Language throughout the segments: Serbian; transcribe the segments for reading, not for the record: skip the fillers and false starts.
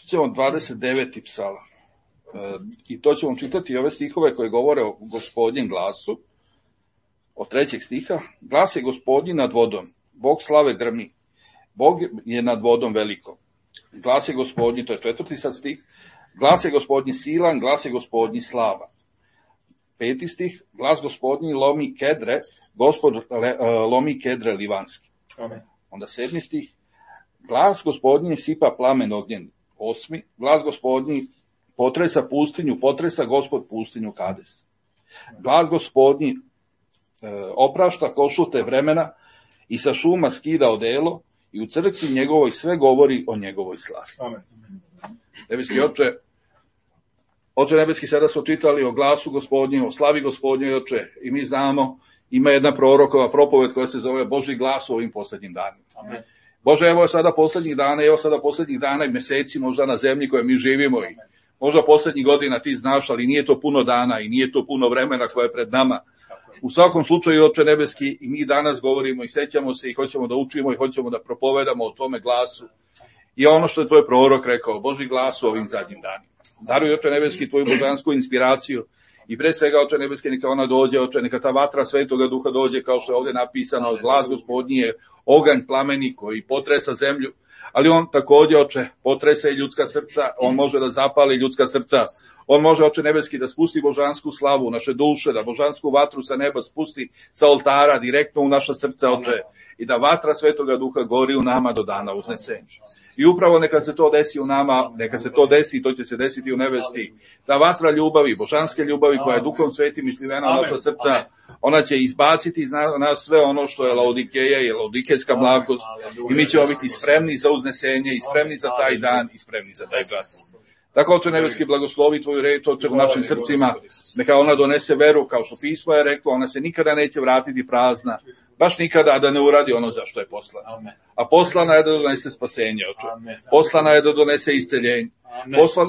ćemo 29. psalam. I to ćemo čitati ove stihove koje govore o Gospodnjem glasu. Od 3. stiha. Glas je Gospodnji nad vodom. Bog slave grmi. Bog je nad vodom veliko. Glas je Gospodnji, to je 4. sad stih. Glas je Gospodnji silan, glas je Gospodnji slava. 5. stih. Glas Gospodnji lomi kedre, Gospod lomi kedre livanski. Amen. Onda 7. stih. Glas Gospodnji sipa plamen ognjen. 8. Glas Gospodnji potresa pustinju, potresa Gospod pustinju Kades. Glas Gospodnji oprašta košute vremena i sa šuma skida odelo i u crkvi njegovoj sve govori o njegovoj slavi. Amen. Nebeski Oče nebeski, sada smo čitali o glasu Gospodnjem, o slavi Gospodnjoj, Oče, i mi znamo, ima jedna prorokova propoved koja se zove Božji glas u ovim posljednjim danima. Amen. Bože, evo sada posljednjih dana i meseci možda na zemlji koje mi živimo i možda posljednjih godina ti znaš, ali nije to puno dana i nije to puno vremena koje je pred nama. U svakom slučaju, Oče nebeski, i mi danas govorimo i sećamo se i hoćemo da učimo i hoćemo da propovedamo o tome glasu. I ono što je tvoj prorok rekao, Božji glas u ovim zadnjim danima. Daruj, Oče nebeski, tvoju božansku inspiraciju i pre svega, Oče nebeski, neka ona dođe, Oče, neka ta vatra Svetoga Duha dođe, kao što je ovdje napisano, glas Gospodnji je oganj plameni koji potresa zemlju, ali on također, Oče, potresa i ljudska srca, on može da zapali ljudska srca, on može, Oče nebeski, da spusti božansku slavu u naše duše, da božansku vatru sa neba spusti sa oltara direktno u naša srca, Oče, i da vatra Svetoga Duha gori u nama do dana uznesenja. I upravo neka se to desi u nama, neka se to desi, to će se desiti u nebeski. Ta vatra ljubavi, božanske ljubavi koja je Duhom Svetim islivena u naša srca, ona će izbaciti iz nas sve ono što je Laodikeja i laodikejska mlakost i mi ćemo biti spremni za uznesenje i spremni za taj dan i spremni za taj glas. Tako, Oče nebeski, blagoslovi tvoju reč, Oče, u našim srcima, neka ona donese veru, kao što pismo je reklo, ona se nikada neće vratiti prazna, baš nikada da ne uradi ono za što je poslana. A poslana je da donese spasenje, Oče. Poslana je da donese isceljenje.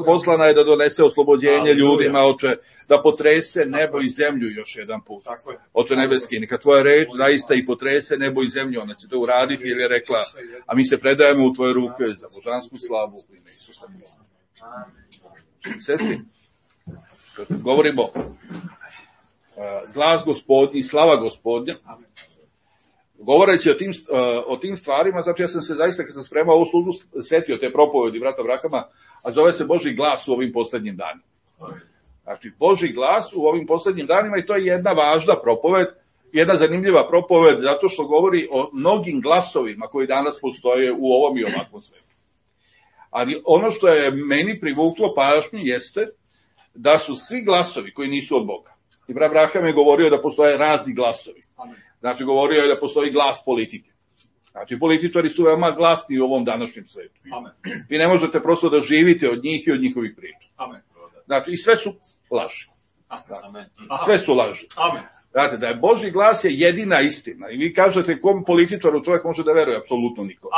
Poslana je da donese oslobođenje ljudima, Oče, da potrese nebo i zemlju još jedan put. Oče nebeski, neka tvoja reč zaista i potrese nebo i zemlju, ona će to uraditi, jer je rekla, a mi se predajemo u tvoje ruke za božansku slavu u ime Isusa Hrista. Sestri, kad govorimo glas Gospodnji, slava Gospodnja, govoreći o tim stvarima, znači ja sam se zaista, kad sam spremao ovu službu, setio te propovedi brata Brahama, a zove se Božji glas u ovim posljednjim danima. Znači, Božji glas u ovim posljednjim danima, i to je jedna važna propoved, jedna zanimljiva propoved, zato što govori o mnogim glasovima koji danas postoje u ovom i ovakvom svetu. Ali ono što je meni privuklo pažnju jeste da su svi glasovi koji nisu od Boga. I brat Braham je govorio da postoje razni glasovi. Znači, govorio je da postoji glas politike. Znači, političari su veoma glasni u ovom današnjem svetu. Vi ne možete prosto da živite od njih i od njihovih priča. Znači, i sve su laži. Sve su laži. Znate, da je Božji glas je jedina istina. I vi kažete kom političaru čovjek može da veruje, apsolutno niko.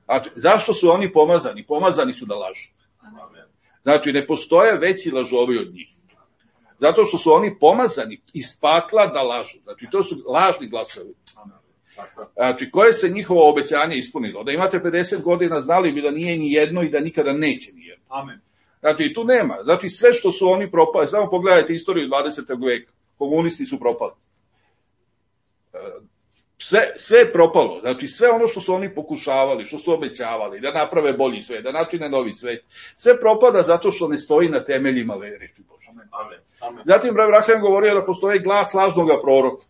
Znači, zašto su oni pomazani? Pomazani su da lažu. Znači, ne postoje veći lažovi od njih. Zato što su oni pomazani iz pakla da lažu. Znači, to su lažni glasovi. Znači, koje se njihovo obećanje ispunilo? Da imate 50 godina, znali bi da nije ni jedno i da nikada neće ni jedno. Znači, i tu nema. Znači, sve što su oni propali, samo pogledajte istoriju 20. veka. Komunisti su propali. Sve je propalo. Znači, sve ono što su oni pokušavali, što su obećavali, da naprave bolji svet, da načine novi svet, sve propada zato što ne stoji na temeljima reči Bože. Zatim, Braham govorio da postoji glas lažnoga proroka.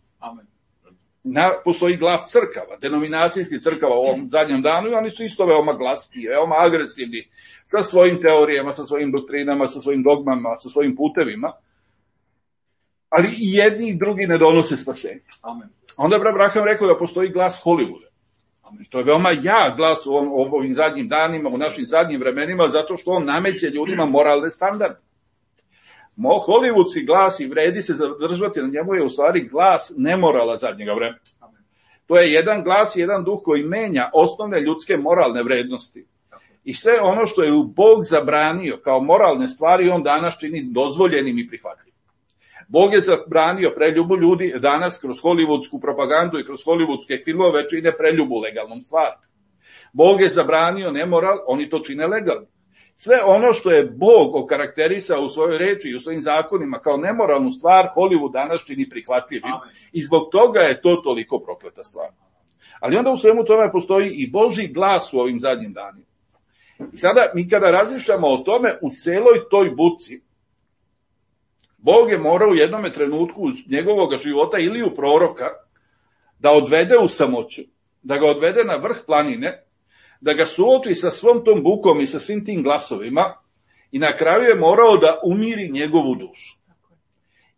Postoji glas crkava, denominacijskih crkava u ovom zadnjem danu, i oni su isto veoma glasni, veoma agresivni, sa svojim teorijama, sa svojim doktrinama, sa svojim dogmama, sa svojim putevima, ali i jedni i drugi ne donose spasenje. Onda je Braham rekao da postoji glas Hollywooda. To je veoma jak glas u ovim zadnjim danima, u našim zadnjim vremenima, zato što on nameće ljudima moralne standarde. Hollywoodski glas, i vredi se zadržati na njemu, je u stvari glas nemorala zadnjega vremena. To je jedan glas i jedan duh koji menja osnovne ljudske moralne vrednosti. I sve ono što je Bog zabranio kao moralne stvari, on danas čini dozvoljenim i prihvatljivim. Bog je zabranio preljubu ljudi, danas kroz hollywoodsku propagandu i kroz hollywoodske filmove čine preljubu legalnom stvari. Bog je zabranio nemoral, oni to čine legalno. sve ono što je Bog okarakterisao u svojoj reči i u svojim zakonima kao nemoralnu stvar, Hollywood danas čini prihvatljivim. I zbog toga je to toliko prokleta stvar. Ali onda u svemu tome postoji i Božji glas u ovim zadnjim danima. I sada mi kada razmišljamo o tome, u celoj toj buci, Bog je morao u jednom trenutku njegovog života ili u proroka da odvede u samoću, da ga odvede na vrh planine, da ga suoči sa svom tom bukom i sa svim tim glasovima i na kraju je morao da umiri njegovu dušu.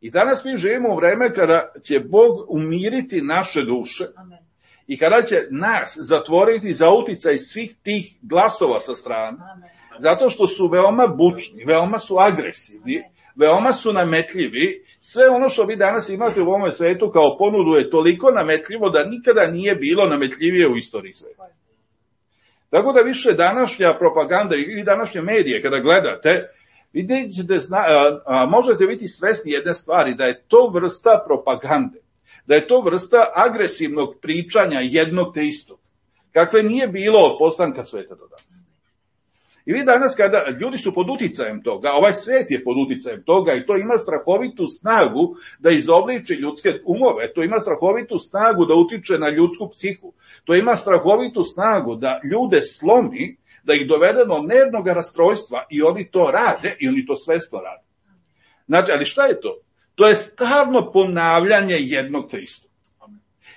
I danas mi živimo u vreme kada će Bog umiriti naše duše i kada će nas zatvoriti za uticaj svih tih glasova sa strane, zato što su veoma bučni, veoma su agresivni, veoma su nametljivi. Sve ono što vi danas imate u ovom svetu kao ponudu je toliko nametljivo da nikada nije bilo nametljivije u istoriji sveta. Tako da više današnja propaganda i današnje medije kada gledate, možete biti svesni jedne stvari, da je to vrsta propagande, da je to vrsta agresivnog pričanja jednog te istog, kakve nije bilo od postanka sveta do danas. I vi danas kada ljudi su pod uticajem toga, ovaj svet je pod uticajem toga i to ima strahovitu snagu da izobliči ljudske umove, to ima strahovitu snagu da utiče na ljudsku psihu, to ima strahovitu snagu da ljude slomi, da ih dovede do nervnog rastrojstva i oni to rade i oni to svesno rade. Znači, ali šta je to? To je stalno ponavljanje jednog te istog.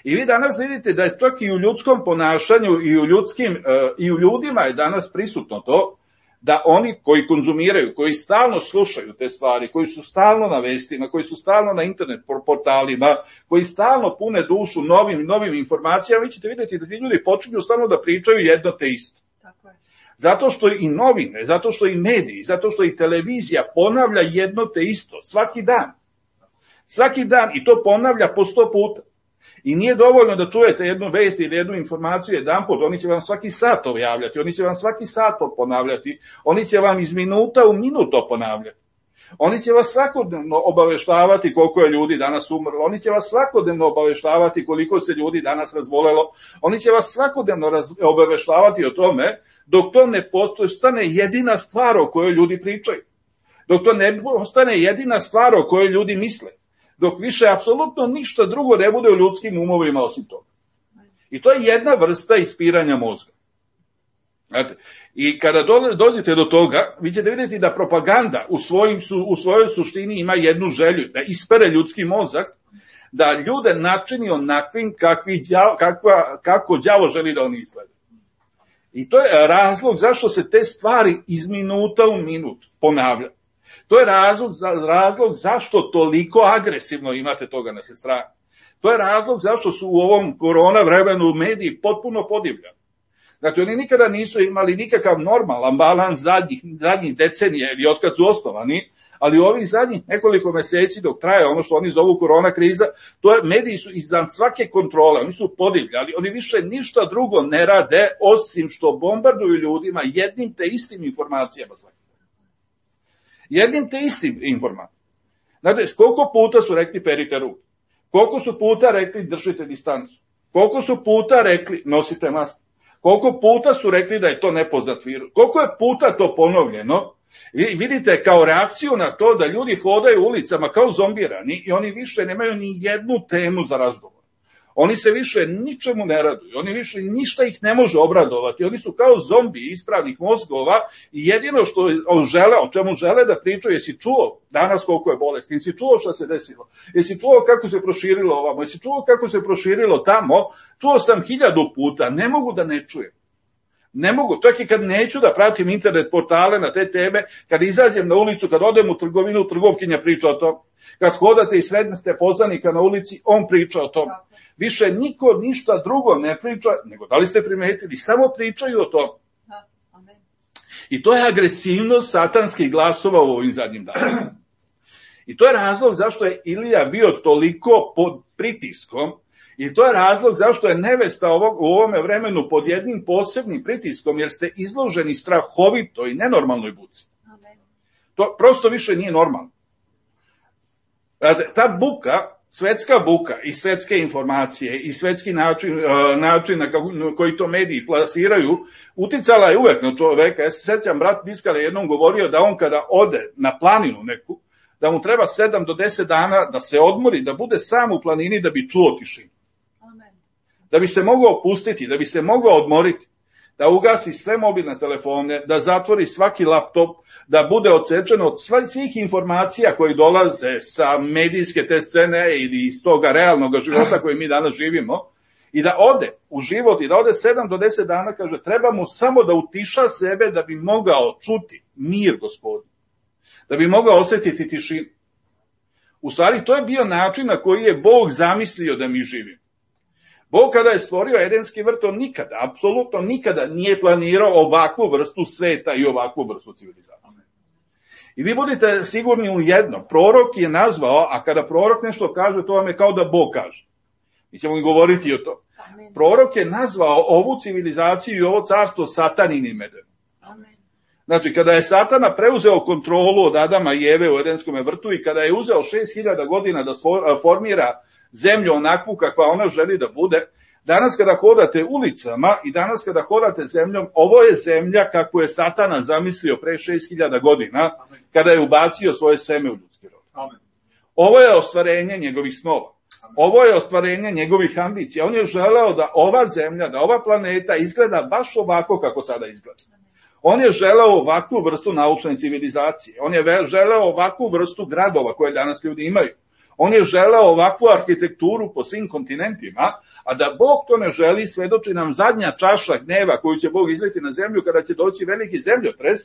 I vi danas vidite da je čak i u ljudskom ponašanju i u ljudima je danas prisutno to da oni koji konzumiraju, koji stalno slušaju te stvari, koji su stalno na vestima, koji su stalno na internet portalima, koji stalno pune dušu novim informacijama, vi ćete vidjeti da ti ljudi počinju stalno da pričaju jedno te isto. Tako je. Zato što i novine, zato što i mediji, zato što i televizija ponavlja jedno te isto svaki dan. Svaki dan i to ponavlja po 100 puta. I nije dovoljno da čujete jednu vest ili jednu informaciju jedanput, oni će vam svaki sat to javljati, oni će vam svaki sat to ponavljati, oni će vam iz minuta u minut to ponavljati. Oni će vas svakodnevno obaveštavati koliko je ljudi danas umrlo, oni će vas svakodnevno obaveštavati koliko se ljudi danas razbolelo, oni će vas svakodnevno obaveštavati o tome dok to ne postane jedina stvar o kojoj ljudi pričaju, dok to ne postane jedina stvar o kojoj ljudi misle. Dok više apsolutno ništa drugo ne bude u ljudskim umovima osim toga. I to je jedna vrsta ispiranja mozga. Znate, i kada dođete do toga, vi ćete vidjeti da propaganda u svojoj suštini ima jednu želju, da ispere ljudski mozak, da ljude načini onakvim kako đavo želi da oni izgledaju. I to je razlog zašto se te stvari iz minuta u minut ponavljaju. To je razlog zašto toliko agresivno imate toga na sve strane. To je razlog zašto su u ovom korona vremenu mediji potpuno podivljani. Znači, oni nikada nisu imali nikakav normalan balans zadnjih decenija ili otkad su osnovani, ali u ovih zadnjih nekoliko meseci dok traje ono što oni zovu korona kriza, mediji su iznad svake kontrole, oni su podivljali, oni više ništa drugo ne rade osim što bombarduju ljudima jednim te istim informacijama. Jednim te istim informacijama. Znate, koliko puta su rekli perite ruke? Koliko su puta rekli držite distancu? Koliko su puta rekli nosite masku? Koliko puta su rekli da je to nepoznat virus? Koliko je puta to ponovljeno? Vi vidite kao reakciju na to da ljudi hodaju ulicama kao zombirani i oni više nemaju ni jednu temu za razgovor. Oni se više ničemu ne raduju, oni više ništa ih ne može obradovati, oni su kao zombi ispravnih mozgova i jedino što žele, o čemu žele da pričaju, jesi čuo danas koliko je bolesti, jesi čuo šta se desilo, jesi čuo kako se proširilo ovamo, jesi čuo kako se proširilo tamo, čuo sam 1000 puta, ne mogu da ne čujem. Ne mogu, čak i kad neću da pratim internet portale na te teme, kad izađem na ulicu, kad odem u trgovinu, trgovkinja priča o tom, kad hodate i sretnete poznanika na ulici, on priča o tom. Više niko ništa drugo ne priča, nego da li ste primetili, samo pričaju o tom. I to je agresivnost satanskih glasova u ovim zadnjim danima. I to je razlog zašto je Ilija bio toliko pod pritiskom, i to je razlog zašto je nevesta u ovome vremenu pod jednim posebnim pritiskom, jer ste izloženi strahovitoj, nenormalnoj buci. To prosto više nije normalno. Ta buka svetska buka i svetske informacije i svetski način na koji to mediji plasiraju, uticala je uvek na čoveka. Ja se sećam, brat Biskal je jednom govorio da on kada ode na planinu neku, da mu treba 7 do 10 dana da se odmori, da bude sam u planini da bi čuo tišinu. Da bi se mogao opustiti, da bi se mogao odmoriti, da ugasi sve mobilne telefone, da zatvori svaki laptop, da bude odsečen od svih informacija koji dolaze sa medijske te scene ili iz toga realnog života koji mi danas živimo, i da ode u život i da ode 7 do 10 dana, kaže, treba mu samo da utiša sebe da bi mogao čuti mir Gospodin, da bi mogao osjetiti tišinu. U stvari, to je bio način na koji je Bog zamislio da mi živimo. Bog kada je stvorio Edenski vrt, on nikada, apsolutno nikada nije planirao ovakvu vrstu sveta i ovakvu vrstu civilizacije. I vi budite sigurni u jedno, prorok je nazvao, a kada prorok nešto kaže, to vam je kao da Bog kaže. Mi ćemo i govoriti o to. Prorok je nazvao ovu civilizaciju i ovo carstvo sataninim medenom. Znači, kada je Satana preuzeo kontrolu od Adama i Eve u Edenskom vrtu i kada je uzeo 6000 godina da formira zemlju onakvu kakva ona želi da bude, danas kada hodate ulicama i danas kada hodate zemljom, ovo je zemlja kakvu je Satana zamislio pre 6000 godina, kada je ubacio svoje seme u ljudski rod. Ovo je ostvarenje njegovih snova. Ovo je ostvarenje njegovih ambicija. On je želeo da ova zemlja, da ova planeta izgleda baš ovako kako sada izgleda. On je želeo ovakvu vrstu naučne civilizacije. On je želeo ovakvu vrstu gradova koje danas ljudi imaju. On je želeo ovakvu arhitekturu po svim kontinentima, a da Bog to ne želi, svedoči nam zadnja čaša gneva koju će Bog izliti na zemlju kada će doći veliki zemljotres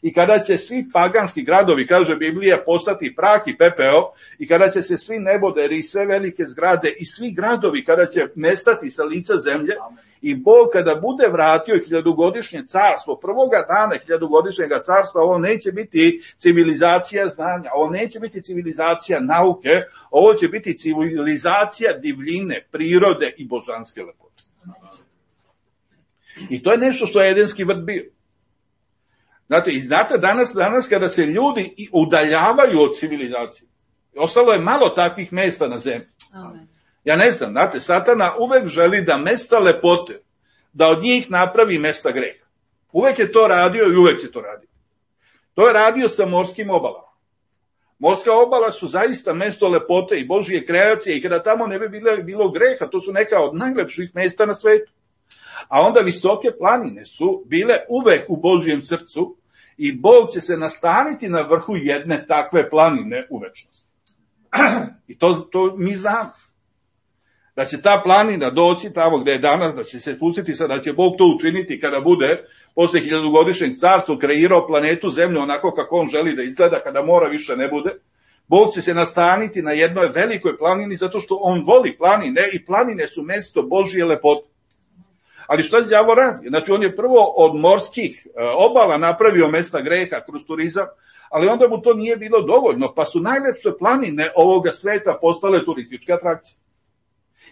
i kada će svi paganski gradovi, kaže Biblija, postati prah i pepeo i kada će se svi neboderi i sve velike zgrade i svi gradovi kada će nestati sa lica zemlje. I Bog kada bude vratio 1000-godišnje carstvo, prvoga dana 1000-godišnjeg carstva, ovo neće biti civilizacija znanja, ovo neće biti civilizacija nauke, ovo će biti civilizacija divljine, prirode i božanske lepote. I to je nešto što je Edenski vrt bio. Znate, danas kada se ljudi udaljavaju od civilizacije, ostalo je malo takvih mesta na zemlji. Amen. Ja ne znam, znate, Satana uvek želi da mesta lepote, da od njih napravi mesta greha. Uvek je to radio i uvek će to raditi. To je radio sa morskim obalama. Morska obala su zaista mesto lepote i Božje kreacije i kada tamo ne bi bilo greha, to su neka od najlepših mesta na svetu. A onda visoke planine su bile uvek u Božjem srcu i Bog će se nastaniti na vrhu jedne takve planine u večnosti. I to mi znamo. Da će ta planina doći tamo gde je danas, da će se spustiti sad, da će Bog to učiniti kada bude posle 1000-godišnjeg carstva kreirao planetu Zemlju onako kako on želi da izgleda, kada mora više ne bude. Bog će se nastaniti na jednoj velikoj planini zato što on voli planine i planine su mesto Božje lepote. Ali šta đavo radi? Znači on je prvo od morskih obala napravio mesta greha kroz turizam, ali onda mu to nije bilo dovoljno, pa su najlepše planine ovoga sveta postale turističke atrakcije.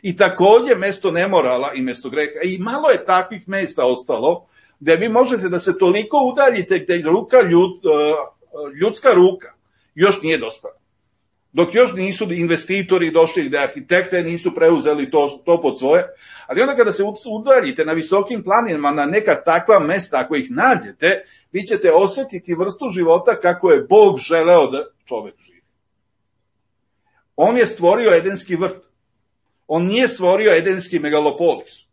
I takođe mesto nemorala i mesto greha. I malo je takvih mesta ostalo, gde vi možete da se toliko udaljite gde ljudska ruka još nije dosta. Dok još nisu investitori došli, gde arhitekte nisu preuzeli to pod svoje. Ali onda kada se udaljite na visokim planinama, na neka takva mesta, ako ih nađete, vi ćete osjetiti vrstu života kako je Bog želeo da čovek živi. On je stvorio Edenski vrt. On nije stvorio Edenski megalopolis.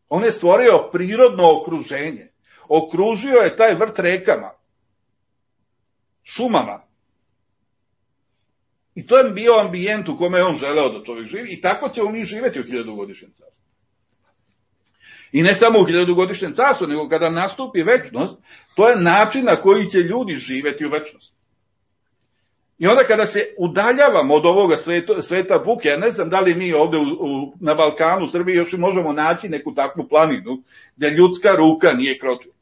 On je stvorio prirodno okruženje. Okružio je taj vrt rekama, šumama. I to je bio ambijent u kome je on želeo da čovjek živi i tako ćemo mi živeti u 1000-godišnjem carstvu. I ne samo u 1000-godišnjem carstvu, nego kada nastupi večnost, to je način na koji će ljudi živeti u večnosti. I onda kada se udaljavamo od ovoga sveta buke, ja ne znam da li mi ovde na Balkanu, u Srbiji još i možemo naći neku takvu planinu gde ljudska ruka nije kročila,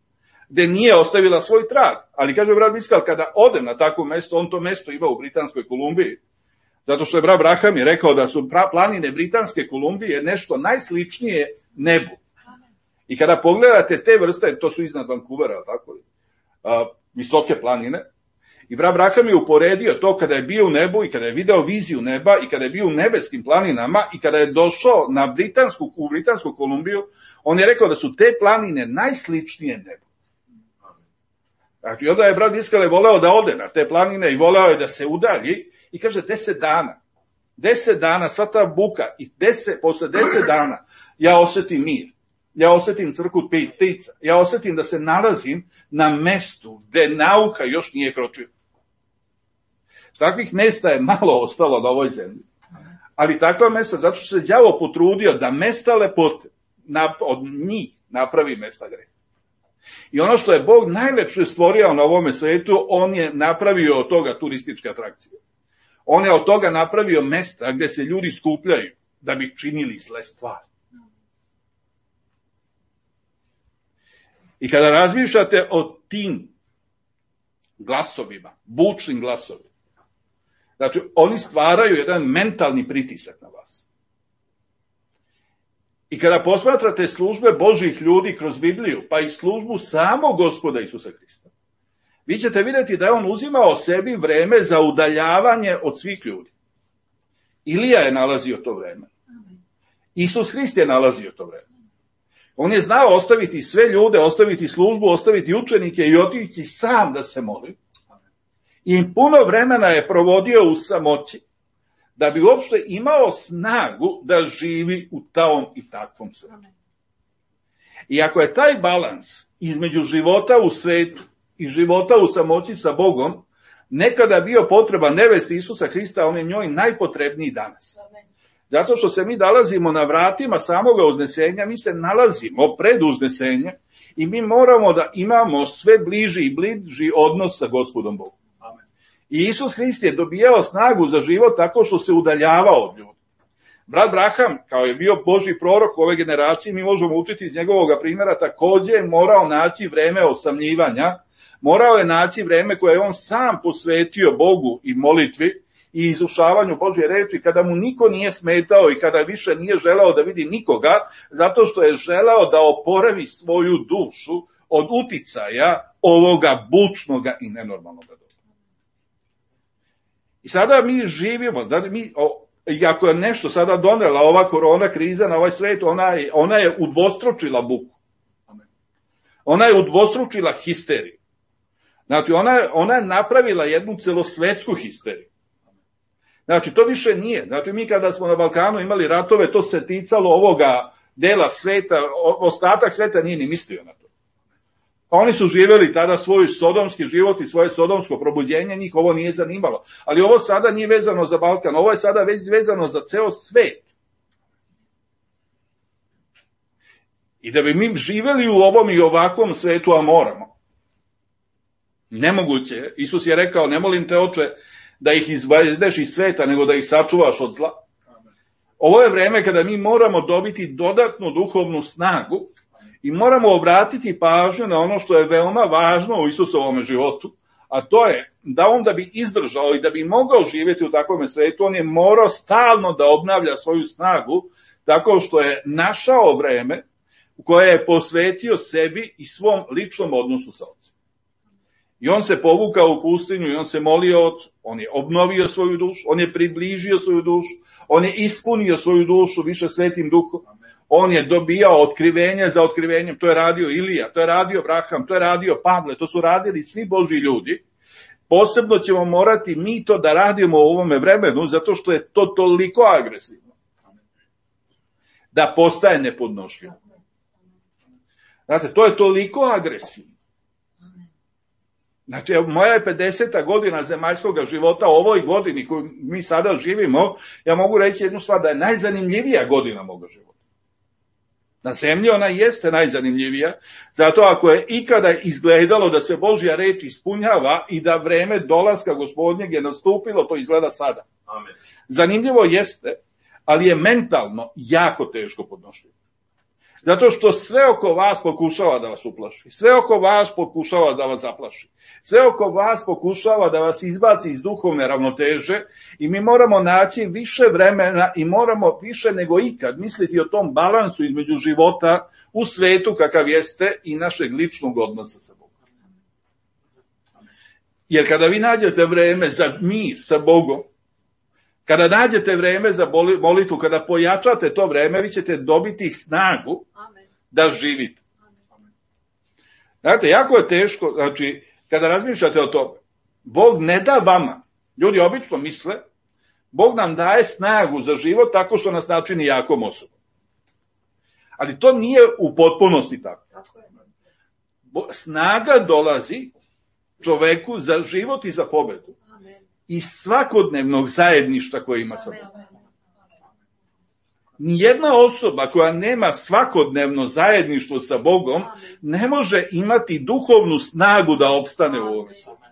gde nije ostavila svoj trag. Ali kaže brat Biskal, kada odem na takvo mesto, on to mesto ima u Britanskoj Kolumbiji, zato što je brat Braham je rekao da su planine Britanske Kolumbije nešto najsličnije nebu. I kada pogledate te vrste, to su iznad Vancouvera, tako li, visoke planine, I brat Braham je uporedio to kada je bio u nebu i kada je video viziju neba i kada je bio u nebeskim planinama i kada je došao u Britansku Kolumbiju, on je rekao da su te planine najsličnije nebu. Znači, onda je brat Iskale voleo da ode na te planine i voleo je da se udalji i kaže 10 dana. 10 dana, sva ta buka i posle 10 dana ja osjetim mir. Ja osjetim crkut ptica. Ja osjetim da se nalazim na mestu gde nauka još nije kročila. Takvih mesta je malo ostalo na ovoj zemlji. Ali takva mesta, zato što se đavo potrudio da mesta lepote od njih napravi mesta greha. I ono što je Bog najlepše stvorio na ovome svetu, on je napravio od toga turističke atrakcije. On je od toga napravio mesta gde se ljudi skupljaju da bi činili zle stvari. I kada razmišljate o tim glasovima, bučnim glasovima, znači oni stvaraju jedan mentalni pritisak na vas. I kada posmatrate službe Božih ljudi kroz Bibliju, pa i službu samog Gospoda Isusa Hrista, vi ćete vidjeti da je on uzimao sebi vreme za udaljavanje od svih ljudi. Ilija je nalazio to vreme. Isus Hrist je nalazio to vreme. On je znao ostaviti sve ljude, ostaviti službu, ostaviti učenike i otići sam da se moli. I puno vremena je provodio u samoći, da bi uopšte imao snagu da živi u tom i takvom svetu. I ako je taj balans između života u svetu i života u samoći sa Bogom nekada bio potreban nevesti Isusa Hrista, on je njoj najpotrebniji danas. Zato što se mi nalazimo na vratima samoga uznesenja, mi se nalazimo pred uznesenjem i mi moramo da imamo sve bliži i bliži odnos sa Gospodom Bogom. I Isus Hrist je dobijao snagu za život tako što se udaljavao od ljudi. Brat Braham, kao je bio Božji prorok ove generacije, mi možemo učiti iz njegovog primjera, također je morao naći vreme osamljivanja, morao je naći vreme koje je on sam posvetio Bogu i molitvi i izušavanju Božje reči, kada mu niko nije smetao i kada više nije želeo da vidi nikoga, zato što je želeo da oporavi svoju dušu od uticaja ovoga bučnoga i nenormalnoga doba. I sada mi živimo, iako je nešto sada donela ova korona kriza na ovaj svijet, ona je udvostručila buku. Ona je udvostručila histeriju. Znači, ona je napravila jednu celosvetsku histeriju. Znači, to više nije. Znači, mi kada smo na Balkanu imali ratove, to se ticalo ovoga dela sveta, ostatak sveta nije ni mislio na to. Oni su živjeli tada svoj sodomski život i svoje sodomsko probudjenje, njih ovo nije zanimalo. Ali ovo sada nije vezano za Balkan, ovo je sada vezano za ceo svet. I da bi mi živjeli u ovom i ovakvom svetu, a moramo. Nemoguće je. Isus je rekao, ne molim te, Oče, da ih izvedeš iz sveta, nego da ih sačuvaš od zla. Ovo je vreme kada mi moramo dobiti dodatnu duhovnu snagu i moramo obratiti pažnju na ono što je veoma važno u Isusovom životu, a to je da on da bi izdržao i da bi mogao živjeti u takvom svetu, on je morao stalno da obnavlja svoju snagu, tako što je našao vreme u koje je posvetio sebi i svom ličnom odnosu sa Otcem. I on se povukao u pustinju i on se molio Otcu, on je obnovio svoju dušu, on je približio svoju dušu, on je ispunio svoju dušu više Svetim Duhom. On je dobijao otkrivenje za otkrivenjem, to je radio Ilija, to je radio Braham, to je radio Pavle, to su radili svi Božji ljudi. Posebno ćemo morati mi to da radimo u ovome vremenu, zato što je to toliko agresivno, da postaje nepodnošljivo. Znate, to je toliko agresivno. Znači, moja je 50. godina zemaljskog života, u ovoj godini koju mi sada živimo, ja mogu reći jednu stvar, da je najzanimljivija godina moga života. Na zemlji ona jeste najzanimljivija, zato ako je ikada izgledalo da se Božja reč ispunjava i da vreme dolaska Gospodnjeg je nastupilo, to izgleda sada. Amen. Zanimljivo jeste, ali je mentalno jako teško podnošljivo. Zato što sve oko vas pokušava da vas uplaši, sve oko vas pokušava da vas zaplaši, sve oko vas pokušava da vas izbaci iz duhovne ravnoteže i mi moramo naći više vremena i moramo više nego ikad misliti o tom balansu između života u svetu kakav jeste i našeg ličnog odnosa sa Bogom. Jer kada vi nađete vreme za mir sa Bogom, kada nađete vreme za molitvu, kada pojačate to vreme, vi ćete dobiti snagu da živite. Znate, jako je teško, znači, kada razmišljate o tome, Bog ne da vama, ljudi obično misle, Bog nam daje snagu za život tako što nas načini jakom osobom. Ali to nije u potpunosti tako. Snaga dolazi čoveku za život i za pobedu. I svakodnevnog zajedništva koje ima sa Bogom. Nijedna osoba koja nema svakodnevno zajedništvo sa Bogom ne može imati duhovnu snagu da opstane u ovome svijetu.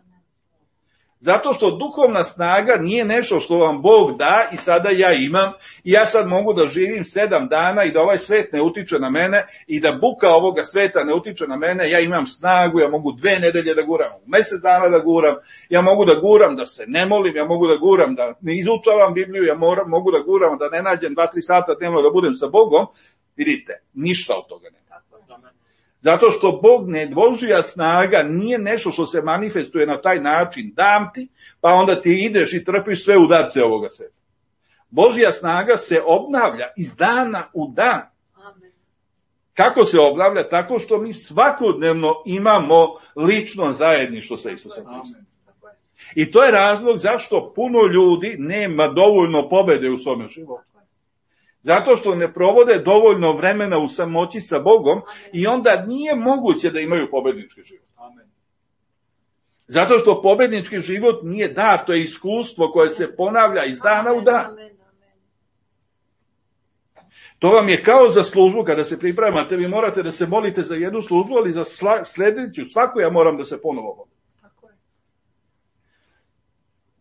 Zato što duhovna snaga nije nešto što vam Bog da i sada ja imam i ja sad mogu da živim 7 dana i da ovaj svet ne utiče na mene i da buka ovoga sveta ne utiče na mene, ja imam snagu, ja mogu 2 nedelje da guram, mjesec dana da guram, ja mogu da guram da se ne molim, ja mogu da guram da ne izučavam Bibliju, ja mogu da guram da ne nađem 2-3 sata dnevno da budem sa Bogom. Vidite, ništa od toga nema. Zato što Božja snaga nije nešto što se manifestuje na taj način, dam ti, pa onda ti ideš i trpiš sve udarce ovoga sveta. Božja snaga se obnavlja iz dana u dan. Kako se obnavlja? Tako što mi svakodnevno imamo lično zajedništvo sa Isusom Hristom. I to je razlog zašto puno ljudi nema dovoljno pobede u svome životu. Zato što ne provode dovoljno vremena u samoći sa Bogom i onda nije moguće da imaju pobednički život. Zato što pobednički život nije dar, to je iskustvo koje se ponavlja iz dana u dan. To vam je kao za službu, kada se pripremate, vi morate da se molite za jednu službu, ali za sljedeću, svaku ja moram da se ponovo molim.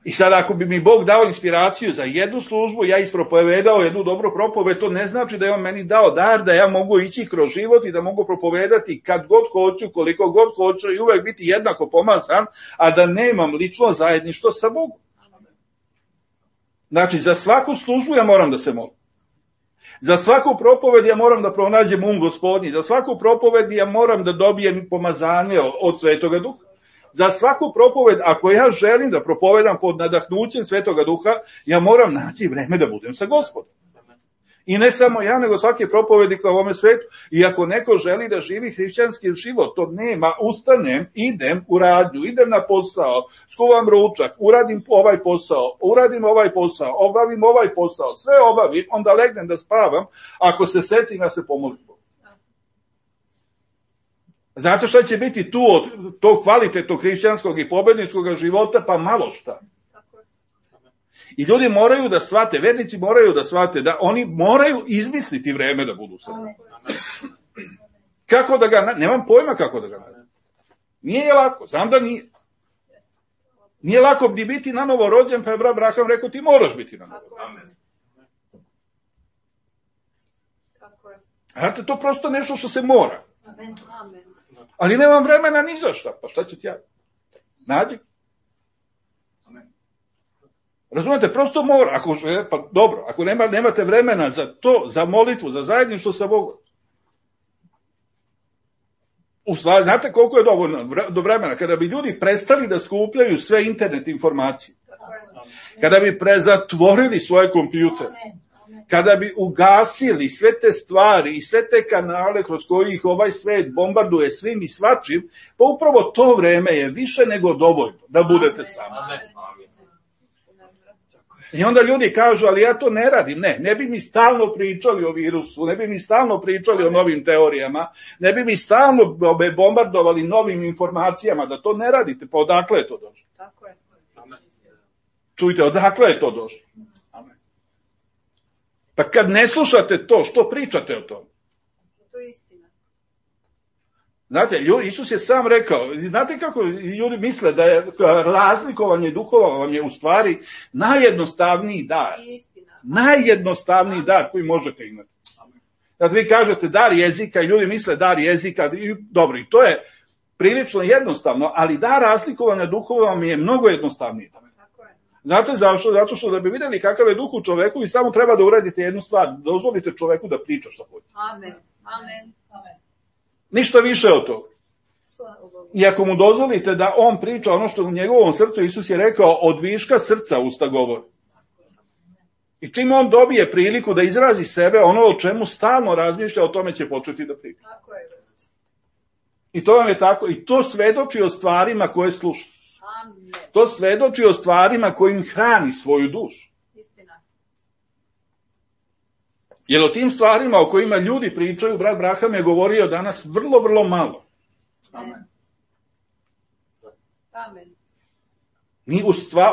I sad ako bi mi Bog dao inspiraciju za jednu službu, ja ispropovedao jednu dobru propoved, to ne znači da je on meni dao dar da ja mogu ići kroz život i da mogu propovedati kad god hoću, koliko god hoću i uvek biti jednako pomazan, a da nemam lično zajedništvo sa Bogom. Znači, za svaku službu ja moram da se molim. Za svaku propoved ja moram da pronađem Gospodnji. Za svaku propoved ja moram da dobijem pomazanje od Svetoga Duha. Za svaku propoved, ako ja želim da propovedam pod nadahnućem Svetoga Duha, ja moram naći vreme da budem sa Gospodom. I ne samo ja, nego svaki propovednik na ovome svetu. I ako neko želi da živi hrišćanski život, to nema, ustanem, idem u radnju, idem na posao, skuvam ručak, uradim ovaj posao, obavim ovaj posao, sve obavim, onda legnem da spavam, ako se setim, ja se pomolim. Znate šta će biti tu od tog kvalitetnog hrišćanskog i pobedničkog života? Pa malo šta. I ljudi moraju da shvate, vernici moraju da shvate, da oni moraju izmisliti vreme da budu sa Bogom. Kako da ga, nemam pojma kako da ga nađem. Nije lako, znam da nije. Nije lako ni biti na novo rođen, pa je brat Abraham rekao ti moraš biti na novo rođen. Znate, to prosto nešto što se mora. Ali nemam vremena ni za šta, pa šta ću ti ja? Nađi. Razumete, prosto mora, pa dobro, ako nemate vremena za to, za molitvu, za zajedništvo sa Bogom. Znate koliko je dovoljno do vremena? Kada bi ljudi prestali da skupljaju sve internet informacije, kada bi prezatvorili svoje kompjutere, kada bi ugasili sve te stvari i sve te kanale kroz koji ih ovaj svet bombarduje svim i svačim, pa upravo to vreme je više nego dovoljno da budete sami. I onda ljudi kažu, ali ja to ne radim. Ne bi mi stalno pričali o virusu, ne bi mi stalno pričali o novim teorijama, ne bi mi stalno bombardovali novim informacijama, da to ne radite. Pa odakle je to došlo? Tako je. Čujte, odakle je to došlo? Pa kad ne slušate to, što pričate o tom? To je istina. Znate, Isus je sam rekao, znate kako ljudi misle da je razlikovanje duhova vam je u stvari najjednostavniji dar. Najjednostavniji dar koji možete imati. Kad vi kažete dar jezika i ljudi misle dar jezika, dobro, i to je prilično jednostavno, ali dar razlikovanja duhova vam je mnogo jednostavniji. Znate zašto? Zato što da bi vidjeli kakav je duh u čoveku, vi samo treba da uradite jednu stvar, dozvolite čoveku da priča što hoće. Amen. Amen. Amen. Ništa više od toga. I ako mu dozvolite da on priča ono što u njegovom srcu, Isus je rekao, od viška srca usta govori. I čim on dobije priliku da izrazi sebe, ono o čemu stalno razmišlja, o tome će početi da priča. I to vam je tako. I to svedoči o stvarima koje sluša. To svedoči o stvarima kojim hrani svoju dušu. Jer o tim stvarima o kojima ljudi pričaju, brat Braham je govorio danas vrlo, vrlo malo. Amen.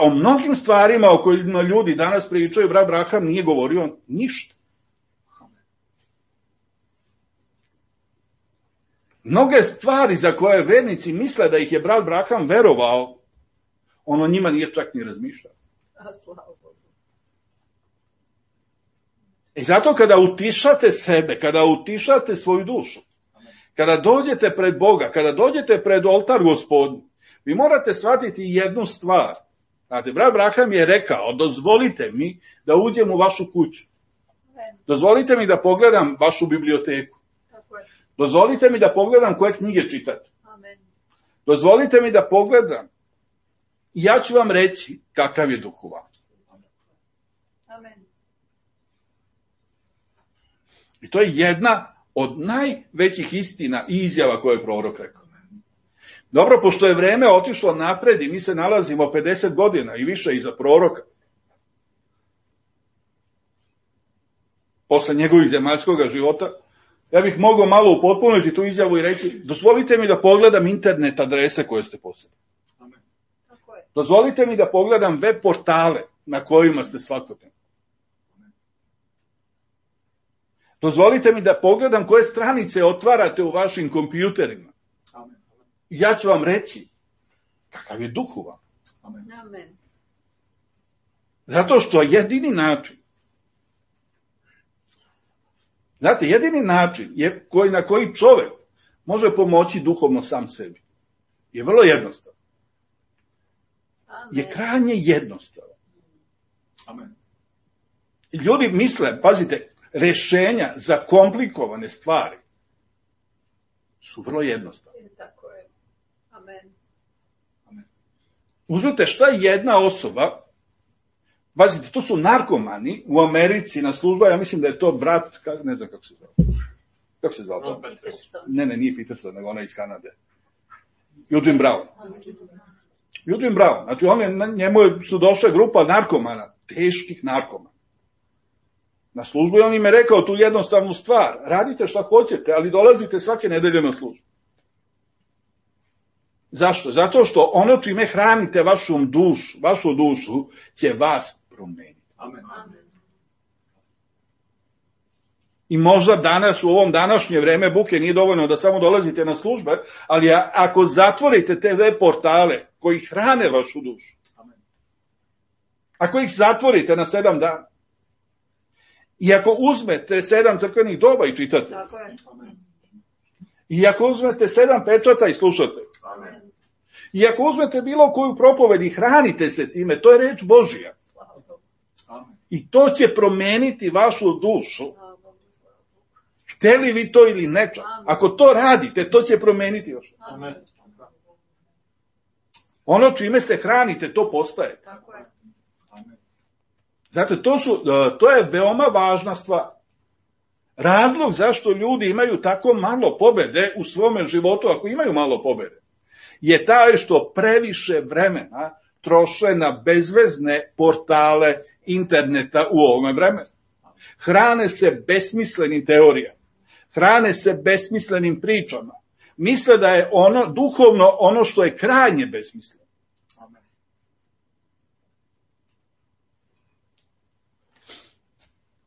O mnogim stvarima o kojima ljudi danas pričaju, brat Braham nije govorio ništa. Mnoge stvari za koje vernici misle da ih je brat Braham verovao, ono njima nije čak ni razmišljao. I zato kada utišate sebe, kada utišate svoju dušu, kada dođete pred Boga, kada dođete pred oltar Gospodnji, vi morate shvatiti jednu stvar. Znate, brat Braham je rekao, dozvolite mi da uđem u vašu kuću. Dozvolite mi da pogledam vašu biblioteku. Dozvolite mi da pogledam koje knjige čitate. Dozvolite mi da pogledam. I ja ću vam reći kakav je duh u vama. I to je jedna od najvećih istina i izjava koje je prorok rekao. Dobro, pošto je vreme otišlo napred i mi se nalazimo 50 godina i više iza proroka, posle njegovih zemaljskog života, ja bih mogao malo upotpuniti tu izjavu i reći, dozvolite mi da pogledam internet adrese koje ste poslali. Dozvolite mi da pogledam web portale na kojima ste svakodnevno. Dozvolite mi da pogledam koje stranice otvarate u vašim kompjuterima. Ja ću vam reći kakav je duh u vam. Amen. Zato što jedini način, znate, jedini način je na koji čovjek može pomoći duhovno sam sebi je vrlo jednostavan. Je krajnje jednostavan. Amen. Ljudi misle, pazite, rešenja za komplikovane stvari su vrlo jednostavne. Tako je. Amen. Uzmite šta je jedna osoba, pazite, to su narkomani u Americi na služba, ja mislim da je to brat, ne znam kako se zove. Kako se zove to? Ne, nije Peterson, nego ona iz Kanade. Eugene Brown. Eugene Brown, znači njemu su došla grupa narkomana, teških narkomana. Na službu i on im je rekao tu jednostavnu stvar, radite šta hoćete, ali dolazite svake nedelje na službu. Zašto? Zato što ono čime hranite vašu dušu će vas promeniti. Amen. I možda danas u ovom današnje vreme buke nije dovoljno da samo dolazite na službe, ali ako zatvorite te web portale koji hrane vašu dušu, ako ih zatvorite na 7 dana, i ako uzmete 7 crkvenih doba i čitate, i ako uzmete 7 pečata i slušate, i ako uzmete bilo koju propoved i hranite se time, to je reč Božija. I to će promeniti vašu dušu. Hteli vi to ili ne, ako to radite, to će promeniti vašu dušu. Ono čime se hranite, to postaje. Zato to je veoma važna stvar. Razlog zašto ljudi imaju tako malo pobede u svome životu, ako imaju malo pobede, je taj što previše vremena troše na bezvezne portale interneta u ovome vremenu. Hrane se besmislenim teorijama, hrane se besmislenim pričama. Misle da je ono duhovno ono što je krajnje besmisleno.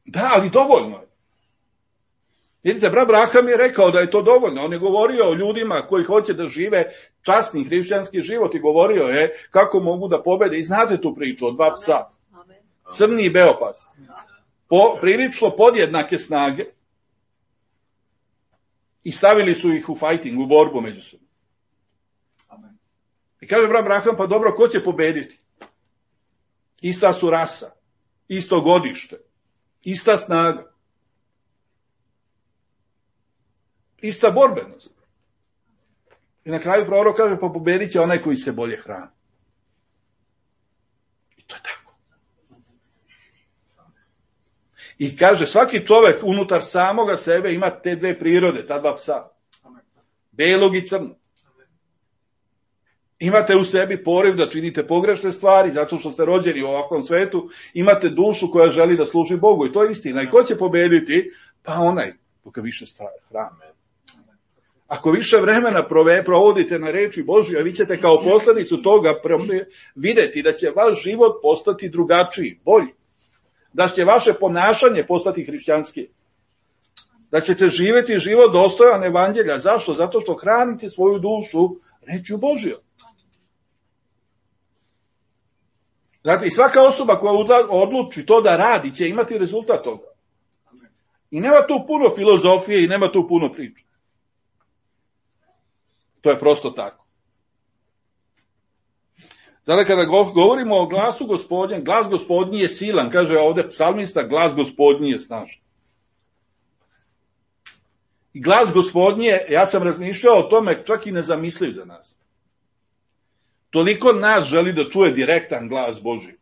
Da, ali dovoljno je. Vidite, brat Braham je rekao da je to dovoljno. On je govorio o ljudima koji hoće da žive časni hrišćanski život i govorio je kako mogu da pobede. I znate tu priču o 2 psa. Crni i beo pas. Prilično podjednake snage. I stavili su ih u fighting, u borbu međusobno. I kaže brat Braham, pa dobro, ko će pobediti? Ista su rasa, isto godište, ista snaga, ista borbenost. I na kraju prorok kaže, pa pobedit će onaj koji se bolje hrani. I to je tako. I kaže, svaki čovjek unutar samoga sebe ima te dve prirode, ta dva psa. Belog i crnog. Imate u sebi poriv da činite pogrešne stvari, zato što ste rođeni u ovakvom svetu, imate dušu koja želi da služi Bogu i to je istina. I ko će pobediti? Pa onaj, koga više hrane. Ako više vremena provodite na reči Božjoj, vi ćete kao posljedicu toga vidjeti da će vaš život postati drugačiji, bolji. Da će vaše ponašanje postati hrišćanskije. Da ćete živjeti život dostojan evanđelja. Zašto? Zato što hranite svoju dušu rečju Božjom. Znate, i svaka osoba koja odluči to da radi će imati rezultat toga. I nema tu puno filozofije i nema tu puno priča. To je prosto tako. Sada kada govorimo o glasu Gospodnjem, glas Gospodnji je silan, kaže ovdje psalmista, glas Gospodnji je snažan. I glas Gospodnji je, ja sam razmišljao o tome, čak i nezamisliv za nas. Toliko nas želi da čuje direktan glas Božji.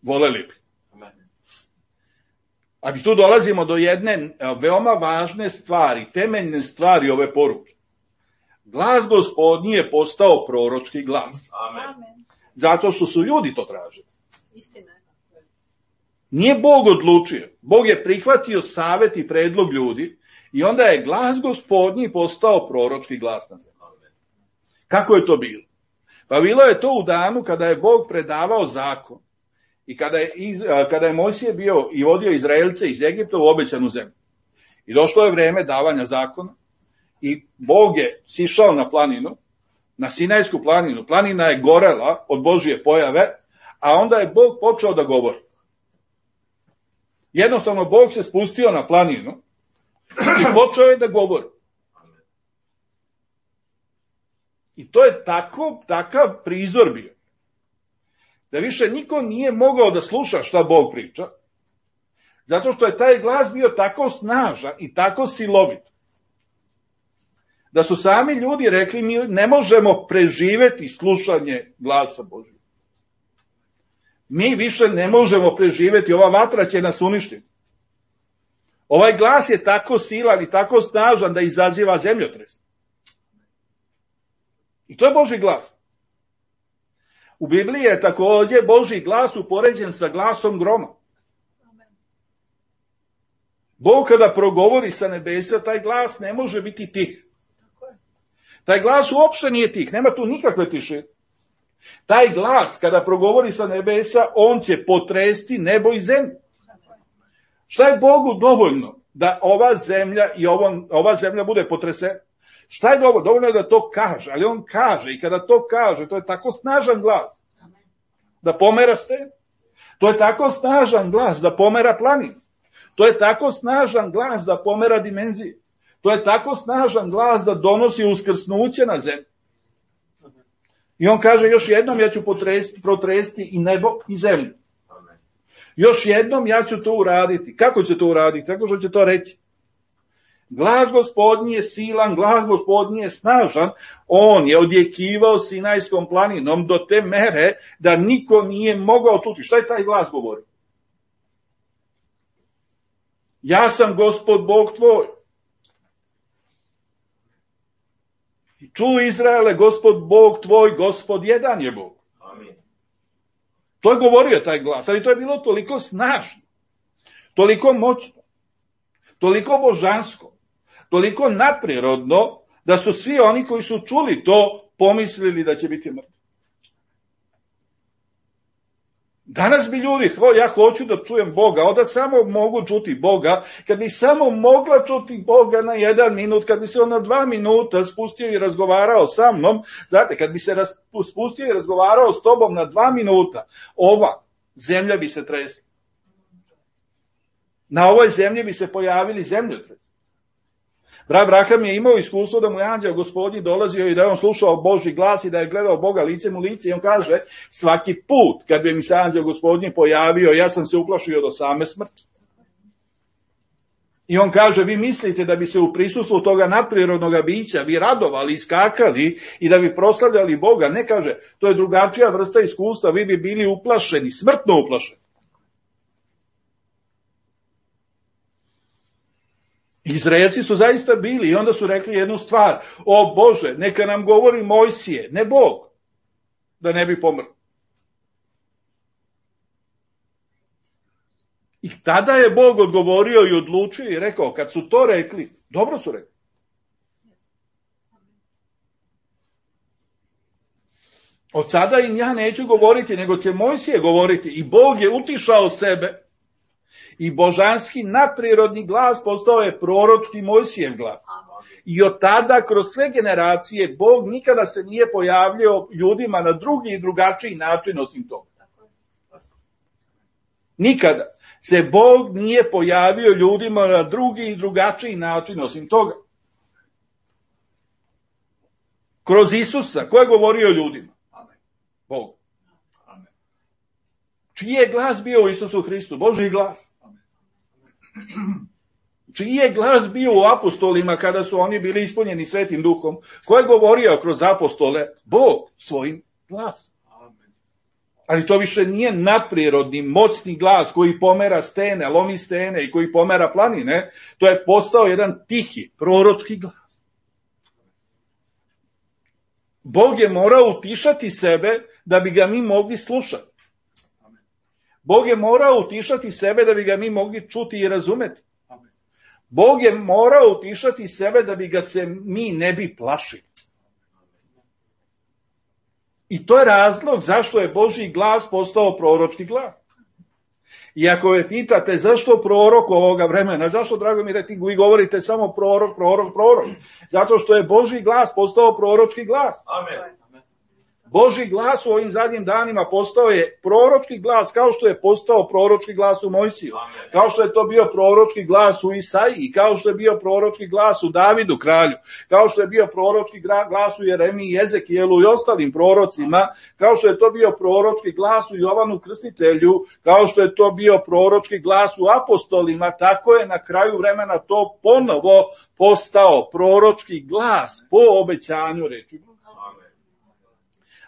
Voleli bi. Ali tu dolazimo do jedne veoma važne stvari, temeljne stvari ove poruke. Glas Gospodnji je postao proročki glas. Amen. Zato što su ljudi to tražili. Istina. Nije Bog odlučio. Bog je prihvatio savjet i predlog ljudi i onda je glas Gospodnji postao proročki glas na zemlji. Kako je to bilo? Pa bilo je to u danu kada je Bog predavao zakon i kada je Mojsije bio i vodio Izraelce iz Egipta u obećanu zemlju. I došlo je vreme davanja zakona i Bog je sišao na planinu, na Sinajsku planinu. Planina je gorela od Božje pojave, a onda je Bog počeo da govori. Jednostavno Bog se spustio na planinu i počeo je da govori. I to je takav prizor bio. Da više niko nije mogao da sluša šta Bog priča, zato što je taj glas bio tako snažan i tako silovit, da su sami ljudi rekli, mi ne možemo preživeti slušanje glasa Božjeg. Mi više ne možemo preživeti, ova vatra će nas uništiti. Ovaj glas je tako silan i tako snažan da izaziva zemljotres. I to je Božji glas. U Bibliji je također Božji glas upoređen sa glasom groma. Bog kada progovori sa nebesa, taj glas ne može biti tih. Taj glas uopšte nije tih, nema tu nikakve tišine. Taj glas kada progovori sa nebesa, on će potresti nebo i zemlju. Šta je Bogu dovoljno da ova zemlja bude potresena? Šta je dovoljno? Dovoljno je da to kaže, ali on kaže i kada to kaže, to je tako snažan glas da pomera stenu. To je tako snažan glas da pomera planinu. To je tako snažan glas da pomera dimenzije. To je tako snažan glas da donosi uskrsnuće na zemlju. I on kaže, još jednom ja ću protresti i nebo i zemlju. Još jednom ja ću to uraditi. Kako će to uraditi? Tako što će to reći. Glas Gospodnji je silan, glas Gospodnji je snažan. On je odjekivao Sinajskom planinom do te mere da niko nije mogao čuti. Šta je taj glas govori? Ja sam Gospod Bog tvoj. Čuj Izraele, Gospod Bog tvoj, Gospod jedan je Bog. Amin. To je govorio taj glas, ali to je bilo toliko snažno, toliko moćno, toliko božansko, toliko nadprirodno, da su svi oni koji su čuli to pomislili da će biti mrtvi. Danas bi ljudi, ja hoću da čujem Boga, onda samo mogu čuti Boga, kad bi samo mogla čuti Boga na 1 minut, kad bi se on na 2 minuta spustio i razgovarao sa mnom, znate, kad bi se spustio i razgovarao s tobom na 2 minuta, ova zemlja bi se tresla. Na ovoj zemlji bi se pojavili zemljotresi. Brat Braham je imao iskustvo da mu je anđeo Gospodnji dolazio i da je on slušao Božji glas i da je gledao Boga licem u lice i on kaže, svaki put kad bi mi se anđeo Gospodnji pojavio, ja sam se uplašio do same smrti. I on kaže, vi mislite da bi se u prisustvu toga nadprirodnog bića vi radovali, iskakali i da bi proslavljali Boga. Ne, kaže, to je drugačija vrsta iskustva, vi bi bili uplašeni, smrtno uplašeni. Izraelci su zaista bili i onda su rekli jednu stvar, o Bože, neka nam govori Mojsije, ne Bog, da ne bi pomrli. I tada je Bog odgovorio i odlučio i rekao, kad su to rekli, dobro su rekli. Od sada im ja neću govoriti, nego će Mojsije govoriti. I Bog je utišao sebe i božanski nadprirodni glas postao je proročki Mojsijev glas. I od tada, kroz sve generacije, Bog nikada se nije pojavljao ljudima na drugi i drugačiji način osim toga. Nikada se Bog nije pojavio ljudima na drugi i drugačiji način osim toga. Kroz Isusa, ko je govorio ljudima? Bog. Čiji je glas bio u Isusu Hristu? Božji glas. Čiji je glas bio u apostolima kada su oni bili ispunjeni Svetim Duhom? Ko je govorio kroz apostole? Bog svojim glasom. Ali to više nije nadprirodni, moćni glas koji pomera stene, lomi stene i koji pomera planine. To je postao jedan tihi, proročki glas. Bog je morao utišati sebe da bi ga mi mogli slušati. Bog je morao utišati sebe da bi ga mi mogli čuti i razumeti. Bog je morao utišati sebe da bi ga se mi ne bi plašili. I to je razlog zašto je Božji glas postao proročki glas. I ako me pitate zašto prorok ovoga vremena, zašto, drago mi, da vi govorite samo prorok, zato što je Božji glas postao proročki glas. Amen. Božji glas u ovim zadnjim danima postao je proročki glas, kao što je postao proročki glas u Mojsiju, kao što je to bio proročki glas u Isaiji, kao što je bio proročki glas u Davidu kralju, kao što je bio proročki glas u Jeremiji, Ezekijelu i ostalim prorocima, kao što je to bio proročki glas u Jovanu Krstitelju, kao što je to bio proročki glas u apostolima, tako je na kraju vremena to ponovo postao proročki glas po obećanju reči.